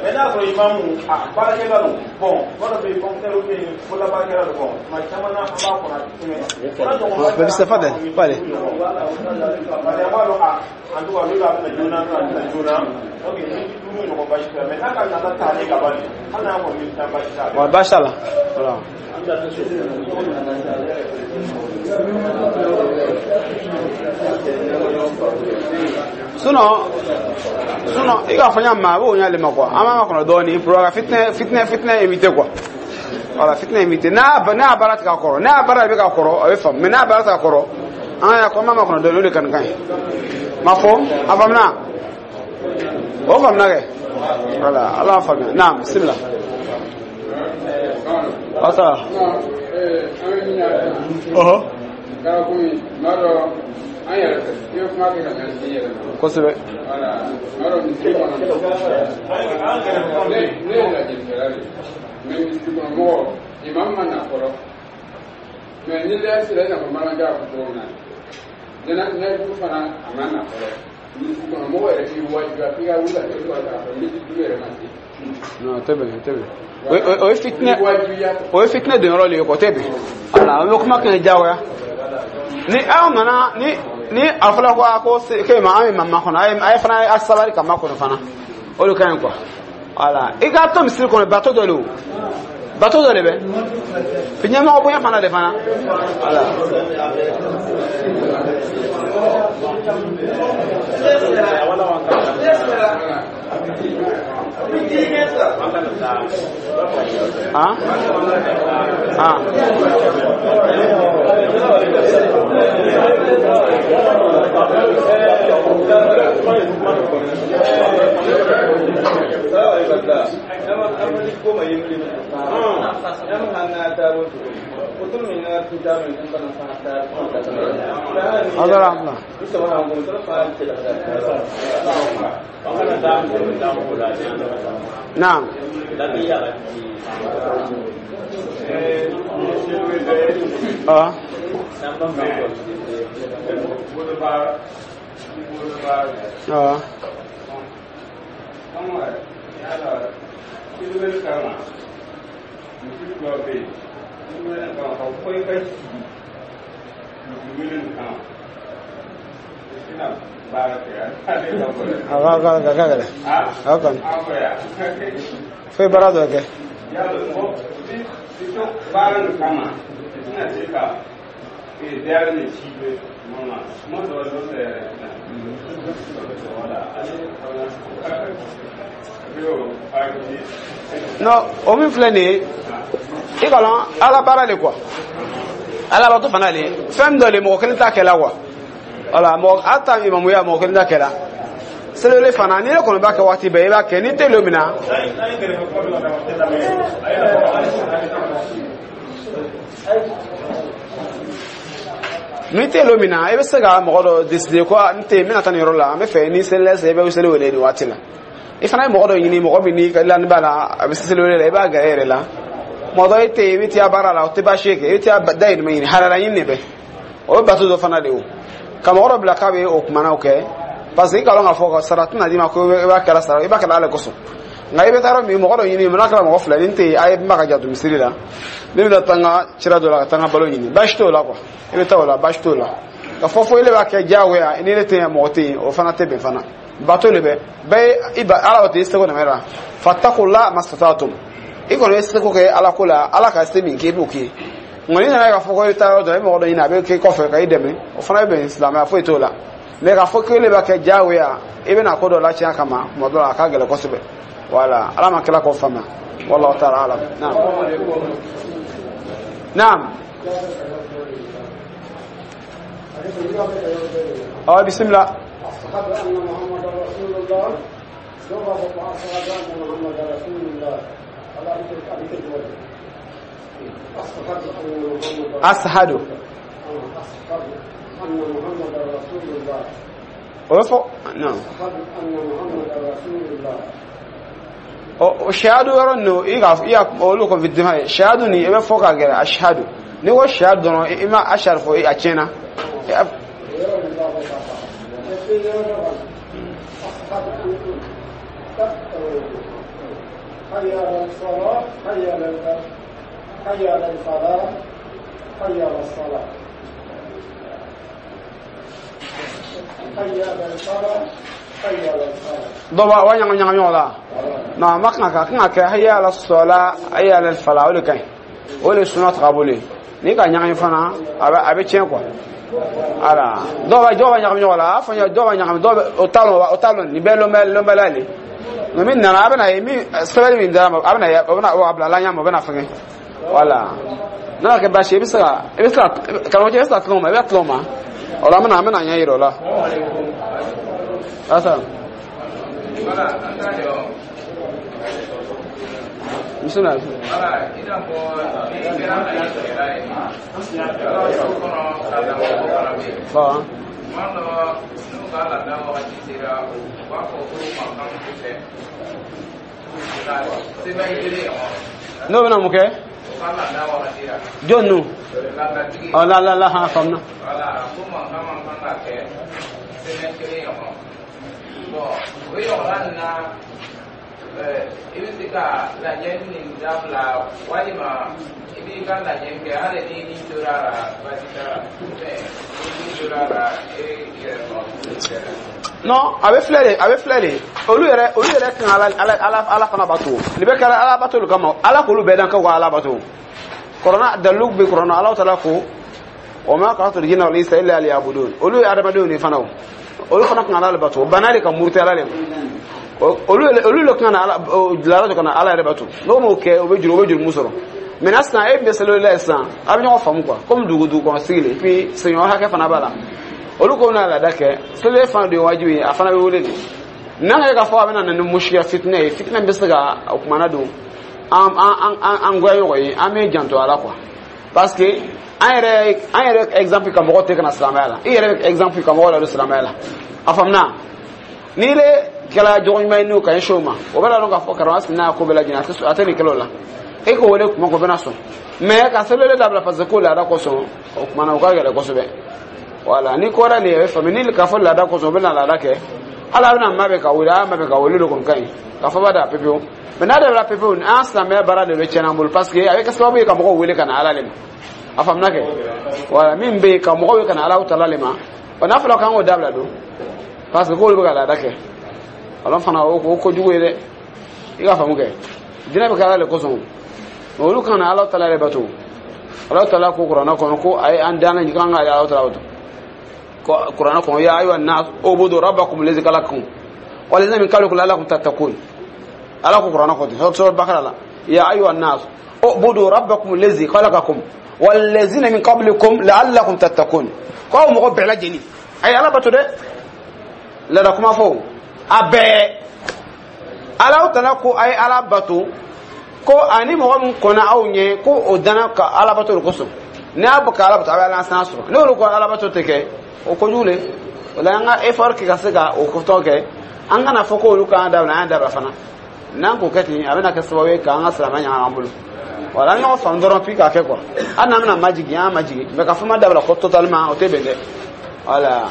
Mais n'a sɔrɔ imamu a baarakɛla don, bon, dɔ bɛ yen fonctionnaire bɛ yen, bolola baarakɛla don, bon, tuma caman na an b'a kɔnɔ a tɛ tɛmɛ. Tafadhali, pale. Parce que an b'a dɔn a en tout cas n'olu a bɛna joona a bɛna joona, donc miniti 5 ɲɔgɔn baasi tɛ, mais n'a ka nata taalen ka ban hali n'a kɔni miniti 10 baasi t'a la. Wa baasi t'a la. Voilà. Sinon i k'a fɔ n y'a ma a b'o ɲɛ ale ma quoi, an b'a makɔnɔ dɔɔnin pour ka fitinɛ éviter quoi. Voilà, fitinɛ éviter. N'a baara tɛ ka kɔrɔ, n'a baara bɛ ka kɔrɔ, a bɛ faamu, mais n'a baara tɛ ka kɔrɔ, an y'a ko an b'a makɔnɔ dɔɔnin, o de ka nin ka ɲi. Ma fɔ a faamuna? O faamuna kɛ? Voilà, Ala y'a faamuya. Naam, bisimila. Asa. Ɔhɔ. Kosɛbɛ. Ne ye lajɛlikɛla de ye, mais misiri kɔnɔ mɔgɔ imam ma na fɔlɔ, mais ni lɛ sera i n'a fɔ malanka fɔ cogo min na, nayibu fana a ma na fɔlɔ, misiri kɔnɔ mɔgɔ yɛrɛ b'i wajibiya f'i ka wuli ka kɛ k'a fɔ miniti 5 yɛrɛ ma se. Non, tɛ bɛn, tɛ bɛn. O ye fitinɛ, o ye fitinɛ don yɔrɔ de ye quoi, o tɛ bɛn. Voilà, an bɛ kuma kɛ diyagoya. Ni aw nana ni a fɔra ko a ko k'e ma an bɛ ma makɔnɔ, a ye fana a sabali ka makɔnɔ fana. O de ka ɲi quoi. Voilà, i k'a to misiri kɔnɔ, bato dɔ de o. Bato dɔ de bɛ. Ɲɛmɔgɔ bonya fana de fana. Voilà. Ah? Ah. Naam. Ah. Ah. Foi barato aqui. Non, o min filɛ nin ye i ka lɔn ala baara le quoi, ala bato fana le fɛn dɔ le mɔgɔ kelen t'a kɛ la quoi. Wala mɔgɔ a ta imamuya mɔgɔ kelen t'a kɛ la. Selewele fana ni ne kɔni b'a kɛ waati bɛɛ i b'a kɛ ni tɛ lon min na. Ni tɛ lon min na i bɛ se ka mɔgɔ dɔ décider ko n tɛ n bɛna taa nin yɔrɔ la, n bɛ fɛ ni selila sisan i bɛ seli wele nin waati la. I fana ye mɔgɔ dɔ ɲini mɔgɔ min n'i ka lani b'a la a bɛ seli wele la, i b'a gɛrɛ e yɛrɛ la. Mɔgɔ dɔ e tɛ yen i bɛ taa baara la o tɛ baasi ye kɛ, i bɛ taa dayɛlɛma ɲini halala ɲini de bɛ o ye bato dɔ fana de ye o ka mɔgɔ dɔ bila k'a bɛ o kumanaw kɛ parce que i ka lɔn k'a fɔ ka sara tɛna d'i ma ko i b'a kɛla sara i b'a kɛla ala kosɔn. Nka i bɛ taa yɔrɔ min mɔgɔ dɔ ɲini n'a kɛra mɔgɔ fila ni n tɛ yen a ye n b'a ka janto misiri la ne bɛna taa n ka sira dɔ la ka taa n ka balo ɲini, baasi t'o la quoi, i bɛ taa o la baasi t'o la. Ka fɔ fo ile b'a kɛ diyagoya ni ne tɛ yen mɔgɔ tɛ yen o fana tɛ bɛn fana. Bato le bɛ bɛɛ i ba ala tɛ i seko nɛmɛ la fattaqullaha mastata'tum, i kɔni ye seko kɛ ala ko la, ala ka se min kɛ i b'o kɛ. Nka n'i nana k'a fɔ ko i bɛ taa yɔrɔ dɔ i mɔgɔ dɔ ɲini a bɛ k'i kɔfɛ ka i dɛmɛ o fana bɛ bɛn silamɛya foyi t'o la. Mɛ k'a fɔ k'e b'a kɛ diyagoya i bɛna ko dɔ latiɲɛ a kama tuma dɔ la a ka gɛlɛn kosɛbɛ. Wala ala ma kila k'o faamuya, wallahu ta'ala alam. Naam naam. Ɔ bisimila. أشهد أن محمد رسول الله لغة أشهد أن محمد رسول الله أشهد أن محمد رسول الله. نعم. أشهد أن محمد رسول الله. O shahadu yɔrɔ ninnu i ka i y'a olu kɔni fi dima ye shahadu nin i bɛ fɔ ka gɛrɛ ashhadu n'i ko shahadu dɔrɔn i ma ashhadu fɔ a tiɲɛna. حي على الصلاة حي على حي على الفلاح حي على الصلاة حي على الفلاح حي على الصلاة. Dɔw b'a ɲagami ɲagami ɲɔgɔn la na ma kan ka kan ka kɛ hayya ala sɔla hayya ala fala o de ka ɲi, o de ye sunna tagabolo ye. N'i ka ɲagami fana a bɛ tiɲɛ quoi. Ala dɔw b'a ɲagami ɲɔgɔn la a fɔ dɔw b'a ɲagami dɔw bɛ o t'a lɔn o t'a lɔn nin bɛɛ lɔnbɛla le. Nka min nana a bɛna ye min sɛbɛnni min dira ma a bɛna ye o bɛna a bila la ɲɛ ma o bɛna fɛngɛ wala n'a ma kɛ baasi ye i bɛ se ka karamɔgɔcɛ i bɛ se ka tila o ma i bɛ tila o ma o la an bɛna ɲɛ yira o la. Asa. Bisimilah. Fa. N'o bɛna mun kɛ? Jɔn nu? Ɔ la la la han faamuna. I bɛ se ka lajɛ nin dabila walima i b'i ka lajɛ kɛ hali ni ni tora a la baasi t'a la ni ni tora a la e yɛrɛ sɔrɔ. Non, a bɛ filɛ de olu yɛrɛ kan ala fana bato nin bɛ kɛra ala bato de kama, ala k'olu bɛɛ dan k'u ka ala bato. Kɔrɔna dalilu bɛ kɔrɔna Ala taala ko wa ma khalaqtul jinna wal insa illa liya'budun, olu ye adamadenw de fana o olu fana kan ala bato bana de ka muruti ala de ma. Olu le kan ala dilara ka na ala yɛrɛ bato n'o m'o kɛ o bɛ juru sɔrɔ. Maintenant sisan e bɛ seli la sisan a bɛ ɲɔgɔn faamu quoi, comme dugu kɔnɔ sigi le et puis sigiɲɔgɔn hakɛ fana b'a la. Olu ko bɛna laada kɛ seli fana de ye wajibi ye a fana bɛ wele de. N'an ka k'a fɔ a bɛna na ni musikila fitinɛ ye, fitinɛ bɛ se ka o kumana don an an an an goya ɲɔgɔn ye, an bɛ janto a la quoi, parce que an yɛrɛ exemple ka mɔgɔ tɛ ka na silamɛya la, i yɛrɛ exemple ka mɔgɔ ladon silamɛya la. A faamuna? N'i le kɛra jogo ɲuman ye n'o ka ɲɛsin o ma, o bɛ ladon k'a fɔ karamɔgɔ sigi n'a ko bɛɛ lajɛlen, a tɛ nin kɛlɛ o la. E k'o wele kuma ko bɛna sɔn, mais ka sɛbɛnni dabila parce que ko laada kosɔn, o kumana o ka gɛlɛn kosɛbɛ. Wala ni ko wɛrɛ nin ye faamu ni k'a fɔ laada kosɔn, o bɛna laada kɛ, hali a bɛna mabɛn ka wele, a y'a mabɛn ka wele de kɔni ka ɲi k'a fɔ b'a da pepewu. Mais n'a dabila pepewu, an silamɛya baara de bɛ tiɲɛ an bolo, parce que a bɛ kɛ sababu ye ka mɔgɔw wele ka na Ala le ma. A faamuna kɛ? Wala min bɛ yen ka mɔgɔw wele ka na Ala tala le ma, wa n'a fɔra k'an k'o dabila don parce que k'olu bɛ ka laada kɛ, alors fana o kojugu ye dɛ. I ka faamu kɛ, diinɛ bɛ kɛ Ala le kosɔn, mais olu kana Ala tala yɛrɛ bato. Ala tala ko Kuranɛ kɔnɔ ko a ye an danna k'an ka Ala tala bato. Kuranɛ kɔnɔ: ya ayuha nas ubudu rabbakum lazi khalaqakum walladhina min qablikum la'allakum tattaqun. Ala ko Kuranɛ kɔnɔ, sura Bakara la: ya ayuha nas ubudu rabbakum lazi khalaqakum walladhina min qablikum la'allakum tattaqun. Ko aw mɔgɔ bɛɛ lajɛlen, a ye Ala bato dɛ. Lada kuma fɔ a bɛɛ, Ala tala ko a ye Ala bato, ko ani mɔgɔ min kɔnna aw ɲɛ, ko o danna ka Ala bato de kosɔn. Ni y'a bɔ ka Ala bato, a bɛ Ala san sɔrɔ. N'olu ko Ala bato tɛ kɛ, o kojugu le. O la an ka effort kɛ ka se ka o tɔ kɛ, an kana fɔ ko olu k'an dabila, an y'an dabila fana. N'an k'o kɛ ten, a bɛna kɛ sababu ye k'an ka silamɛya ɲagami an bolo. Wala an ɲɔgɔn faamu dɔrɔn puis k'a kɛ quoi. Hali n'an bɛna majigin, an majigin, mais ka fɔ ma dabila ko totalement, o tɛ bɛn dɛ. Wala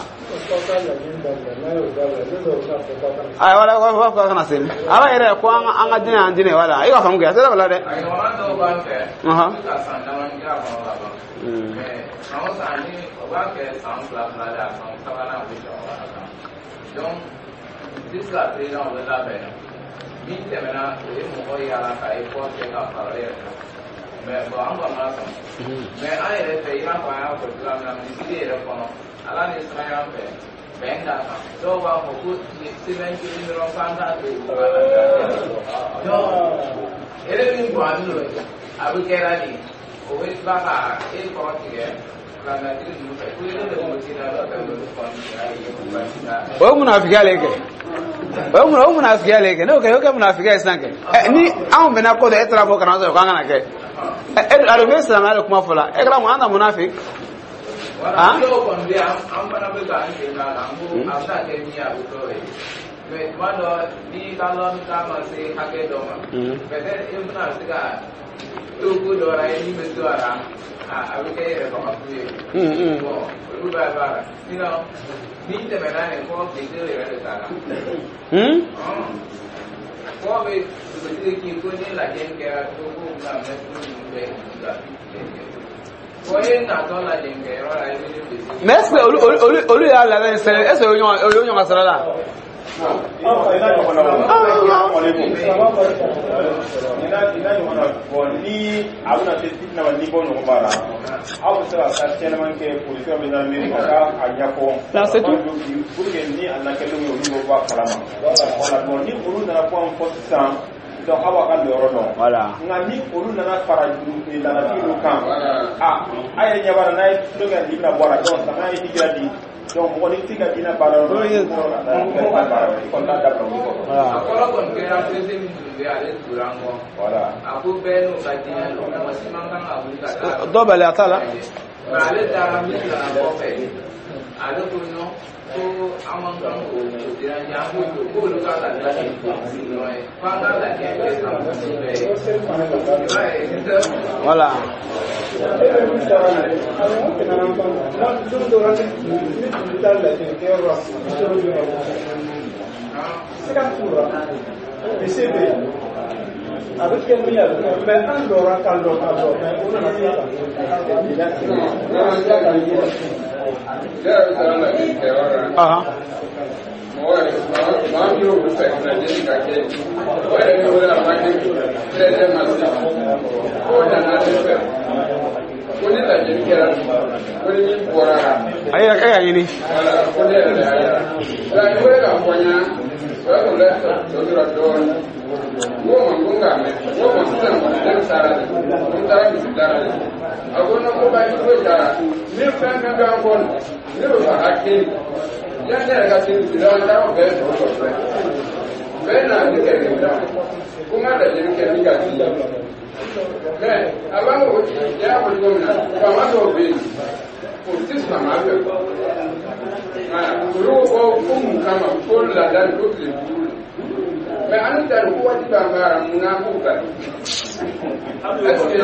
ayi, wala wala wala kana seli Ala yɛrɛ ko an ka diinɛ, an diinɛ. Wala i ka faamu kɛ, a tɛ dabila dɛ. A ɲɔgɔnna dɔw b'an fɛ, u bɛ ka san damani kɛ a kɔnɔ ka ban, mais san o san ni o b'a kɛ san fila fila de, a san sabanan u bɛ jɔ a kan. Donc jusqu'à présent o bɛ labɛn na. Min tɛmɛna, o ye mɔgɔ yaala ka effort kɛ ka fara o yɛrɛ kan, mais bon, an kɔni ma sɔn. Mais an yɛrɛ fɛ, i n'a fɔ an y'a fɔ cogoya min na, misiri yɛrɛ kɔnɔ, Ala ni siranya fɛ, bɛn k'a kan, dɔw b'a fɔ ko sɛbɛn kelen dɔrɔn k'an t'a to yen, ko ka lafiya. Donc ere min bɔn don, a bɛ kɛra de, o bɛ tila ka e kɔrɔ tigɛ filanatigi ninnu fɛ ko e de ko tina dɔ fɛ, olu kɔni kɛra ye ko baasi t'a la. O ye munafigiya le kɛ, o ye mun, o ye munafigiya le kɛ. N'o kɛ, o kɛ munafigiya ye sisan kɛ. Ɛ ni anw bɛnna ko dɔ, e taara fɔ kana sɔrɔ k'an kana kɛ. Ɛ e a dun bɛ silamɛya de kuma fɔ la, e kɛra mun an ta munafiki. Wala dɔw kɔni bɛ yan, an fana bɛ k'an sen k'a la, n ko a bɛ se ka kɛ min ye, a bɛ kɛ o ye. Mais tuma dɔ, n'i ka lɔnni ta ma se hakɛ dɔ ma, peut-être e bɛna se ka to ko dɔ la ye min bɛ to a la, a bɛ kɛ e yɛrɛ faga fu ye. Bon, olu b'a b'a la, sinon ni tɛmɛna nin fɔ bilisi yɛrɛ de t'a la. Fɔ bɛ dugutigi k'i ko ni lajɛ kɛra ko bɛna mɛtiri ninnu bɛɛ ka fɔ e natɔ lajɛ kɛyɔrɔ la, i bɛ ne bilisi. Mais est ce que olu y'a laada ni sɛnɛ, est ce que o ye ɲɔgɔn ka sara la? Ina ɲɔgɔn na o ina ɲɔgɔn na. Bon, ni a bɛna se fitina ma, ni bɔ ɲɔgɔn b'a la, aw bɛ se ka taa kɛnɛman kɛ polisiw bɛ gendarmerie ka taa a ɲɛfɔ. Là, c'est tout. Pour que ni a nana kɛlenw ye, olu bɛ bɔ a kalama. Voilà. Bon, ni olu nana fɔ an fɔ sisan, donc aw b'a ka lɔyɔrɔ dɔn. Voilà. Nka ni olu nana fara laadatigiw dɔ kan, a yɛrɛ ɲɛ b'a la, n'a ye tulo kɛ nin bɛna bɔ a la. Donc sama ye hijira di, donc mɔgɔ ni t'i ka diinɛ baara yɔrɔ la, i kɔrɔ ka taa i ka baara wɛrɛ, i kɔni t'a dabila olu kɔrɔ. A kɔrɔ kɔni kɛra perese min tun bɛ ale tugura an kɔ. Voilà. A ko bɛɛ n'u ka diinɛ don, mɔgɔ si man kan ka wuli ka taa. Dɔ bali a t'a la. Mais ale taara min nana kɔfɛ, ale ko non, ko an man kan k'o déranger, an k'o to k'olu ka lajɛ dɔrɔn ye, f'an ka lajɛ kɛ ka muso bɛɛ ye. I b'a ye. Voilà. E bɛ min taara n'a ye, awɔ, an tɛmɛna an kan na don dɔ la, ne tun bɛ taa lajɛlikɛyɔrɔ la, sɔrɔ bɛ se ka t'u la, bise bɛ yen, a bɛ kɛ min ye, a bɛ kɛ, mais an lɔra ka lɔ ka lɔ, mais o nana tila ka o nana tila ka ye. Ne yɛrɛ bɛ taa lajɛli kɛyɔrɔ la. Mɔgɔ yɛrɛ maa min y'o fɛ lajɛli ka kɛ, o yɛrɛ ni wele a ma kɛ 13 ma se, o nana ne fɛ ko ni lajɛli kɛra, ko ni min bɔra la. A yɛrɛ e y'a ɲini. Wala ko ne yɛrɛ de y'a yira la, n wele k'a fɔ n ɲɛna, o y'a sɔrɔ tɔ tora dɔɔnin. N ko ma ko n k'a mɛn, n ko ma sisan kɔni ne bɛ taara de, n taara misi dara de. A ko non, ko baasi foyi t'a la, ni fɛn fɛn bɛ an kɔ nin, ne bɛ fɛ a ka kɛ nin yanni ne yɛrɛ ka se misi la, an taara o bɛɛ sɔrɔ. Bɛɛ nana ni kɛlɛkɛminɛn ko n ka lajɛli kɛ ni ka di, mais a b'a fɔ i y'a fɔ cogo min na, faama dɔw bɛ yen, o tɛ silamɛya fɛ. Olu ko ko mun kama ko laada ko tile 5, mais an ta ko waati b'an baara, mun na an b'u bali? Est ce que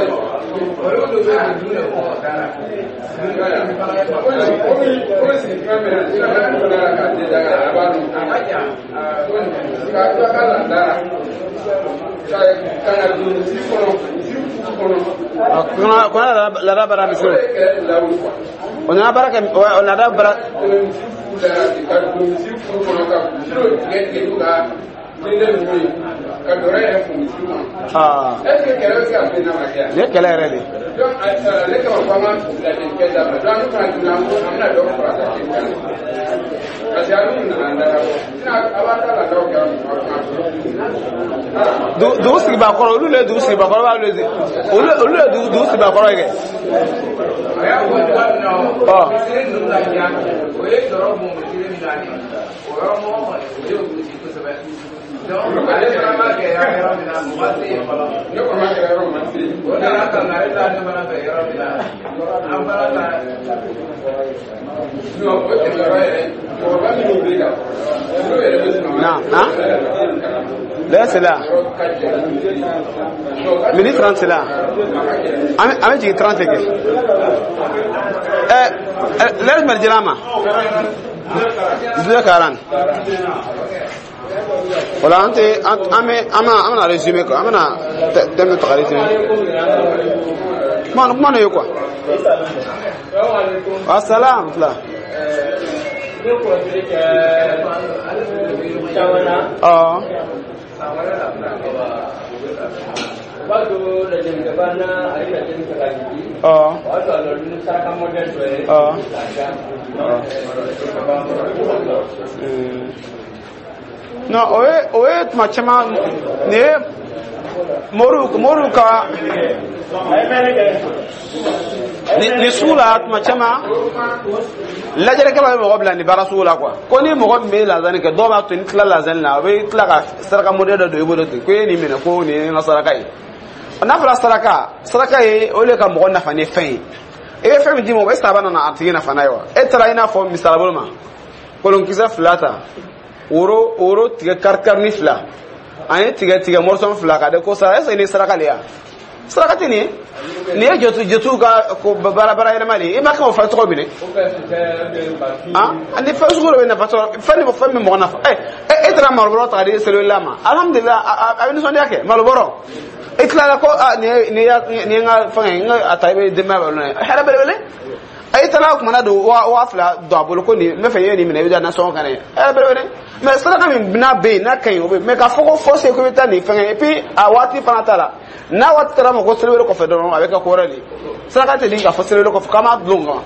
Olu dɔ bɛ yen, dun de fɔ da la. Komi sigi kuma min na, silamɛya donna la k'a di daga a b'a dɔn. A ka jan. Ka tila ka laada la ka na don misiri kɔnɔ, misiri kuru kɔnɔ. Kɔnɔ laada bara O misiri. de kɛlɛ lawuli quoi. O nana baara kɛ, o laada bara. Tɛmɛ misiri kuru la ka don misiri kuru kɔnɔ, ka misiri tigɛ tigɛ n'u ka denkɛ ninnu ye, ka dɔrɔ yɛrɛ fo misiri kɔnɔ. Aa. Est ce que kɛlɛ bɛ se ka bin n'a ma kɛ yan? Nin ye kɛlɛ yɛrɛ de ye. Donc ne kama ko an ka lajɛlikɛ dabila. Donc an fana tun an ko an bɛna dɔ fara lajɛli kan, parce que an nana an dara bɔ, sinon a b'a ta laadaw kɛ an kuma. Dugu sigibaa kɔrɔ, olu le ye dugu sigibaa kɔrɔ, b'a olu le ye dugu sigibaa kɔrɔ ye kɛ. A y'a fɔ cogoya min na, Ɔ. Misiri ninnu ka jan, o ye sɔrɔ bon misiri min na nin, o yɔrɔ mɔgɔ kɔni, o ye gosi kosɛbɛ. Donc ale fana ma kɛ yɔrɔ min na, o ma se yen fɔlɔ. Ne kɔni ma kɛra yɔrɔ ma se yen. O nana kangari da ne fana fɛ yɔrɔ min na, an fana ta. Non, o tɛmɛyɔrɔ yɛrɛ, cɛkɔrɔba minnu bɛ ka olu yɛrɛ bɛ sɔn. Na na l'heure c'est là, minute 30 c'est là, an bɛ jigin 30 kɛ. Ɛ ɛ, l'heure jumɛn dira an ma? 10h40. Voilà, an tɛ an bɛ an bɛna résumé quoi, an bɛna thème ta ka résumé. Kuma ye quoi? Wa salam tila. Ne kɔlɔsili kɛ caman na. Ɔ. O b'a to lajɛlikɛba na a ye lajɛli kɛ ka jigin. Ɔ. O y'a sɔrɔ a nɔ ni saraka mɔdɛli dɔ ye. Ɔ. K'a d'a ma. Non, o ye tuma caman nin ye moriw ka nin sugu la. Tuma caman lajɛlikɛlaw bɛ mɔgɔ bila nin baara sugu la quoi, ko ni mɔgɔ min bɛ lazani kɛ, dɔw b'a to ni tila lazani la, a bɛ tila ka saraka modèle dɔ don i bolo ten, ko e ye nin minɛ, ko nin ye n ka saraka ye. N'a fɔra saraka, saraka ye o de ka mɔgɔ nafa ni fɛn ye. I bɛ fɛn min di mɔgɔ, est ce que a bɛ na a tigi nafa n'a ye wa? E taara, i n'a fɔ misali bolo ma, kolonkisɛ fila ta, woro tigɛ kari kari fila, ani tigɛ tigɛ mɔrɔsɔn fila ka de ko sara, est ce que nin saraka le ya? Saraka tɛ nin ye. Nin ye jotu ka ko baara baara yɛlɛma de ye. I ma kan o fɛn tɔgɔ minɛ. Ah, ani fɛn sugu dɔ bɛ nafa sɔrɔ, fɛn ni fɛn min mɔgɔ nafa. Ɛ ɛ, e taara malobɔrɔ ta ka di selila ma, alhamdulilah, a bɛ nisɔndiya kɛ malobɔrɔ. E tilala ko a nin ye n ka fɛngɛ, n ka a ta, i bɛ denbaya balo n'a ye, hɛrɛ belebele. A taara kumana don 2000 don a bolo, ko nin n bɛ fɛ i ye nin minɛ, i bɛ taa nasɔngɔ kan ye, hɛrɛ belebele. Mais saraka min n'a bɛ yen, n'a ka ɲi, o bɛ yen, mais k'a fɔ ko forcé ko i bɛ taa nin fɛngɛ, et puis a waati fana t'a la. N'a waati taara ma ko seliwele kɔfɛ dɔrɔn, a bɛ kɛ ko wɛrɛ de ye. Saraka tɛ di k'a fɔ seliwele kɔfɛ k'an b'a dulon kan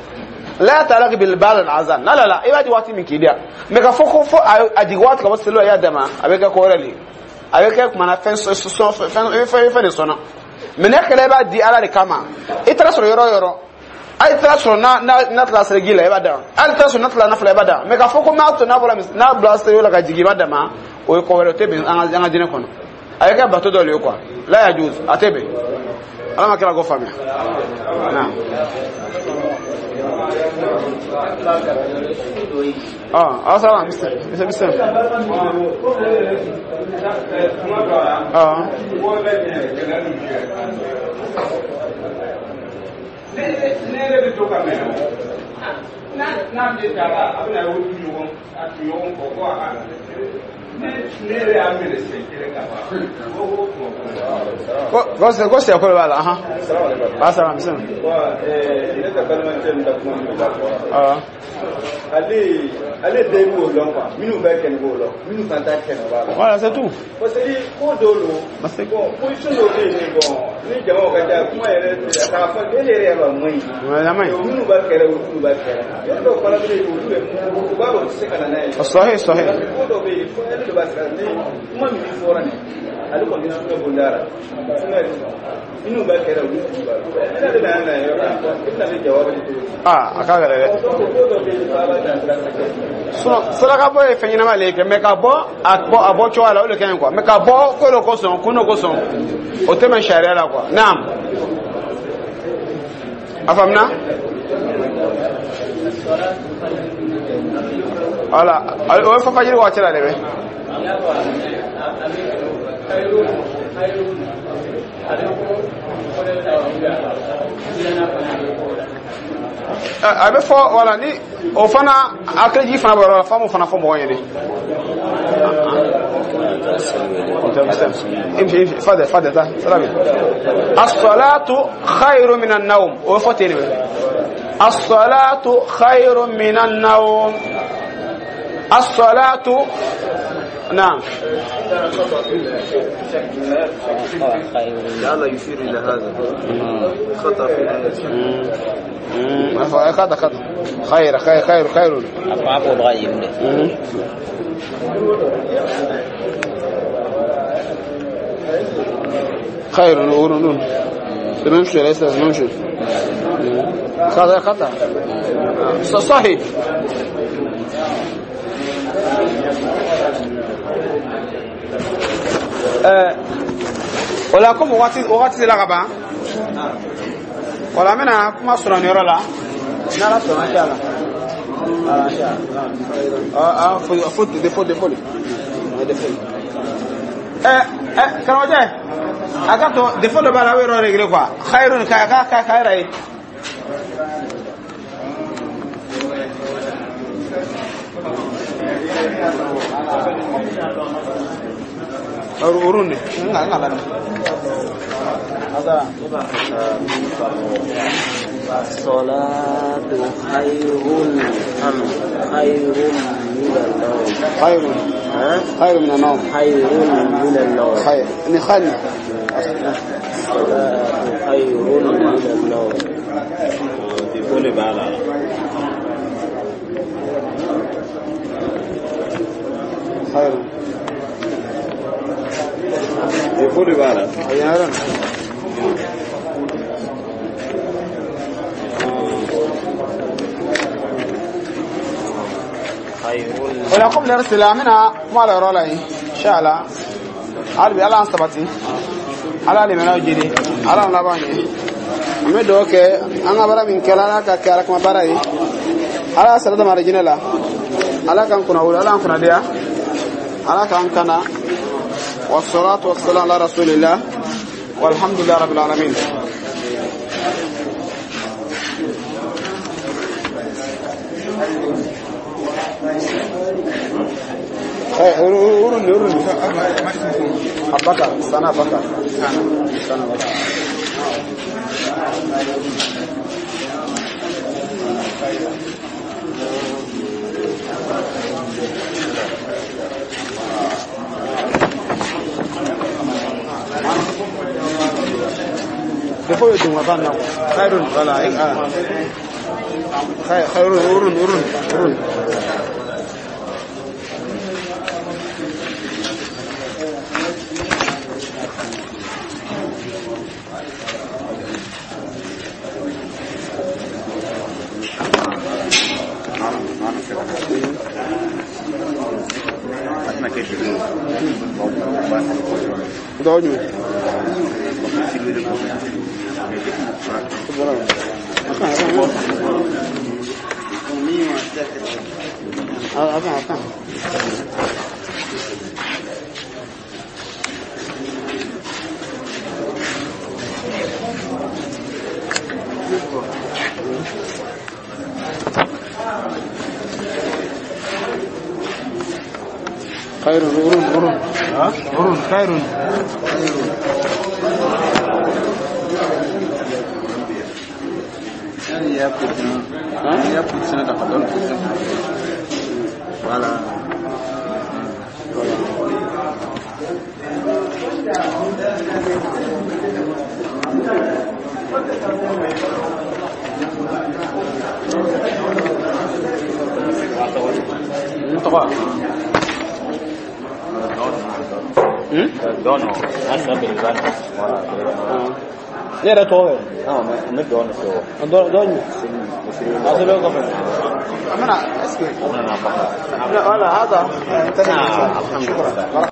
la ta'alaq bil ba'd al azan la la la, i b'a di waati min k'i diya, mais k'a fɔ ko fo a jigin waati ka bɔ seliwele, i y'a dama, a bɛ kɛ ko wɛrɛ de ye. A bɛ kɛ kumana fɛn sɔn fɛn fɛn de sɔnna, mais n'a kɛra i b'a di Ala de kama. I taara sɔrɔ yɔrɔ o yɔrɔ, hali taara sɔrɔ n'a tilala seliji la, i b'a dama, hali taara sɔrɔ n'a tilala nafila, i b'a dama. Mais k'a fɔ ko n'a to n'a bɔra n'a bila seliwele la ka jigin, i b'a dama, o ye ko wɛrɛ, o tɛ bɛn an ka diinɛ kɔnɔ. A bɛ kɛ bato dɔ de ye quoi, la yajuz, a tɛ bɛn. Ala ma kira ko faamuya naam. Ɔ, aw sara misi misi misi. Ɔ. Ne yɛrɛ bɛ to ka mɛn n'a bɛ taa, a bɛna o ɲɔgɔn a ɲɔgɔn kɔ ko a ka ne yɛrɛ y'a minɛ siɲɛ kelen ka ban ko Ko sɛ ko de b'a la ahan. Ba sara misi. Ne ka balimacɛ min ka kuma min b'a fɔ. Ɔ. Ale den b'o dɔn quoi, minnu bɛ kɛnɛ b'o dɔn, minnu fana t'a kɛnɛ b'a la. Voilà, c'est tout. Parce que ko dɔw don. Parce que bon, position dɔw bɛ yen, bon, ni jamaw ka ca, kuma yɛrɛ a k'a fɔ e yɛrɛ y'a dɔn a man ɲi. A man ɲi. Minnu b'a kɛrɛ, olu b'a kɛrɛ. Yɔrɔ dɔw fana bɛ yen, olu bɛ u b'a dɔn u tɛ se ka na n'a ye. Sahih sahih. Parce que ko dɔw bɛ yen, fo ale de b'a sira ni kuma min fɔra nin, ale kɔni sunɛ bonda la. Sunɛ minnu b'a kɛrɛ, olu b'a. Ne de nana yɔrɔ la. Aa, a ka gɛlɛn dɛ. Sinon saraka bɔ ye fɛn ɲɛnama le ye kɛ, mais ka bɔ a bɔ a bɔ cogoya la, o de ka ɲi quoi. Mais ka bɔ ko dɔ kosɔn, kun dɔ kosɔn, o tɛ bɛn sariya la quoi. Naam, a faamuna? Voilà, o ye fajiri waati la de bɛ. A bɛ fɔ wala ni o fana hakiliji fana bɔ yɔrɔ la, f'an b'o fana fɔ mɔgɔw ɲɛnɛ. امشي فضل فضل سلام. الصلاة خير من النوم، وفتني الصلاة خير من النوم. الصلاة، نعم. لعل يشير إلى هذا خطأ في الآية. خطأ خطأ. خير خير خير خير. خير نور نور. نمشي ليس نمشي. خطأ خطأ. صحيح. O la komi wagati sera ka ban, o la n bɛna kuma sɔrɔ nin yɔrɔ la n'Ala sɔnna, inshallah. Ah, faut défaut défaut défaut. Karamɔgɔcɛ, a ka to défaut dɔ b'a la, a bɛ yɔrɔ régler quoi. Khayrun ka ka ka ka yɛrɛ ye. Urun ne nga la. الصلاة خير أم خير من النوم؟ خير خير من النوم. خير من النوم. خير خير. الصلاة خير من النوم. خير. Défaut de bala. O la komi lɛri sera, an bɛna kuma la yɔrɔ la yen, inshallah. Hali bi Ala y'an sabati, Ala limanaw jidi, Ala y'an laban ɲɛ. An bɛ dugawu kɛ an ka baara min kɛra, Ala ka kɛ Ala kuma baara ye, Ala y'a sara dama arijinɛ la, Ala k'an kunna wolo, Ala k'an kunna diya, Ala k'an kana. والصلاة والسلام على رسول الله والحمد لله رب العالمين. أبكر سنة بكر سنة بكر. Défaut ye dun ka ban na khairun wala khairun urun urun urun. Dɔw jumɛn? Attends, attends. خير urun urun urun خير. Il y a positionné dans la bonne position. Voilà. Trois. Non, non. Voilà. Ne yɛrɛ tɔgɔ kɛ. Non, mais n bɛ dɔɔnin fɛ o. Dɔ dɔ ɲi. Seli misiri. A sɛbɛn kɔfɛ. Amina, est-ce que An nana. Voilà, هذا. شكرا.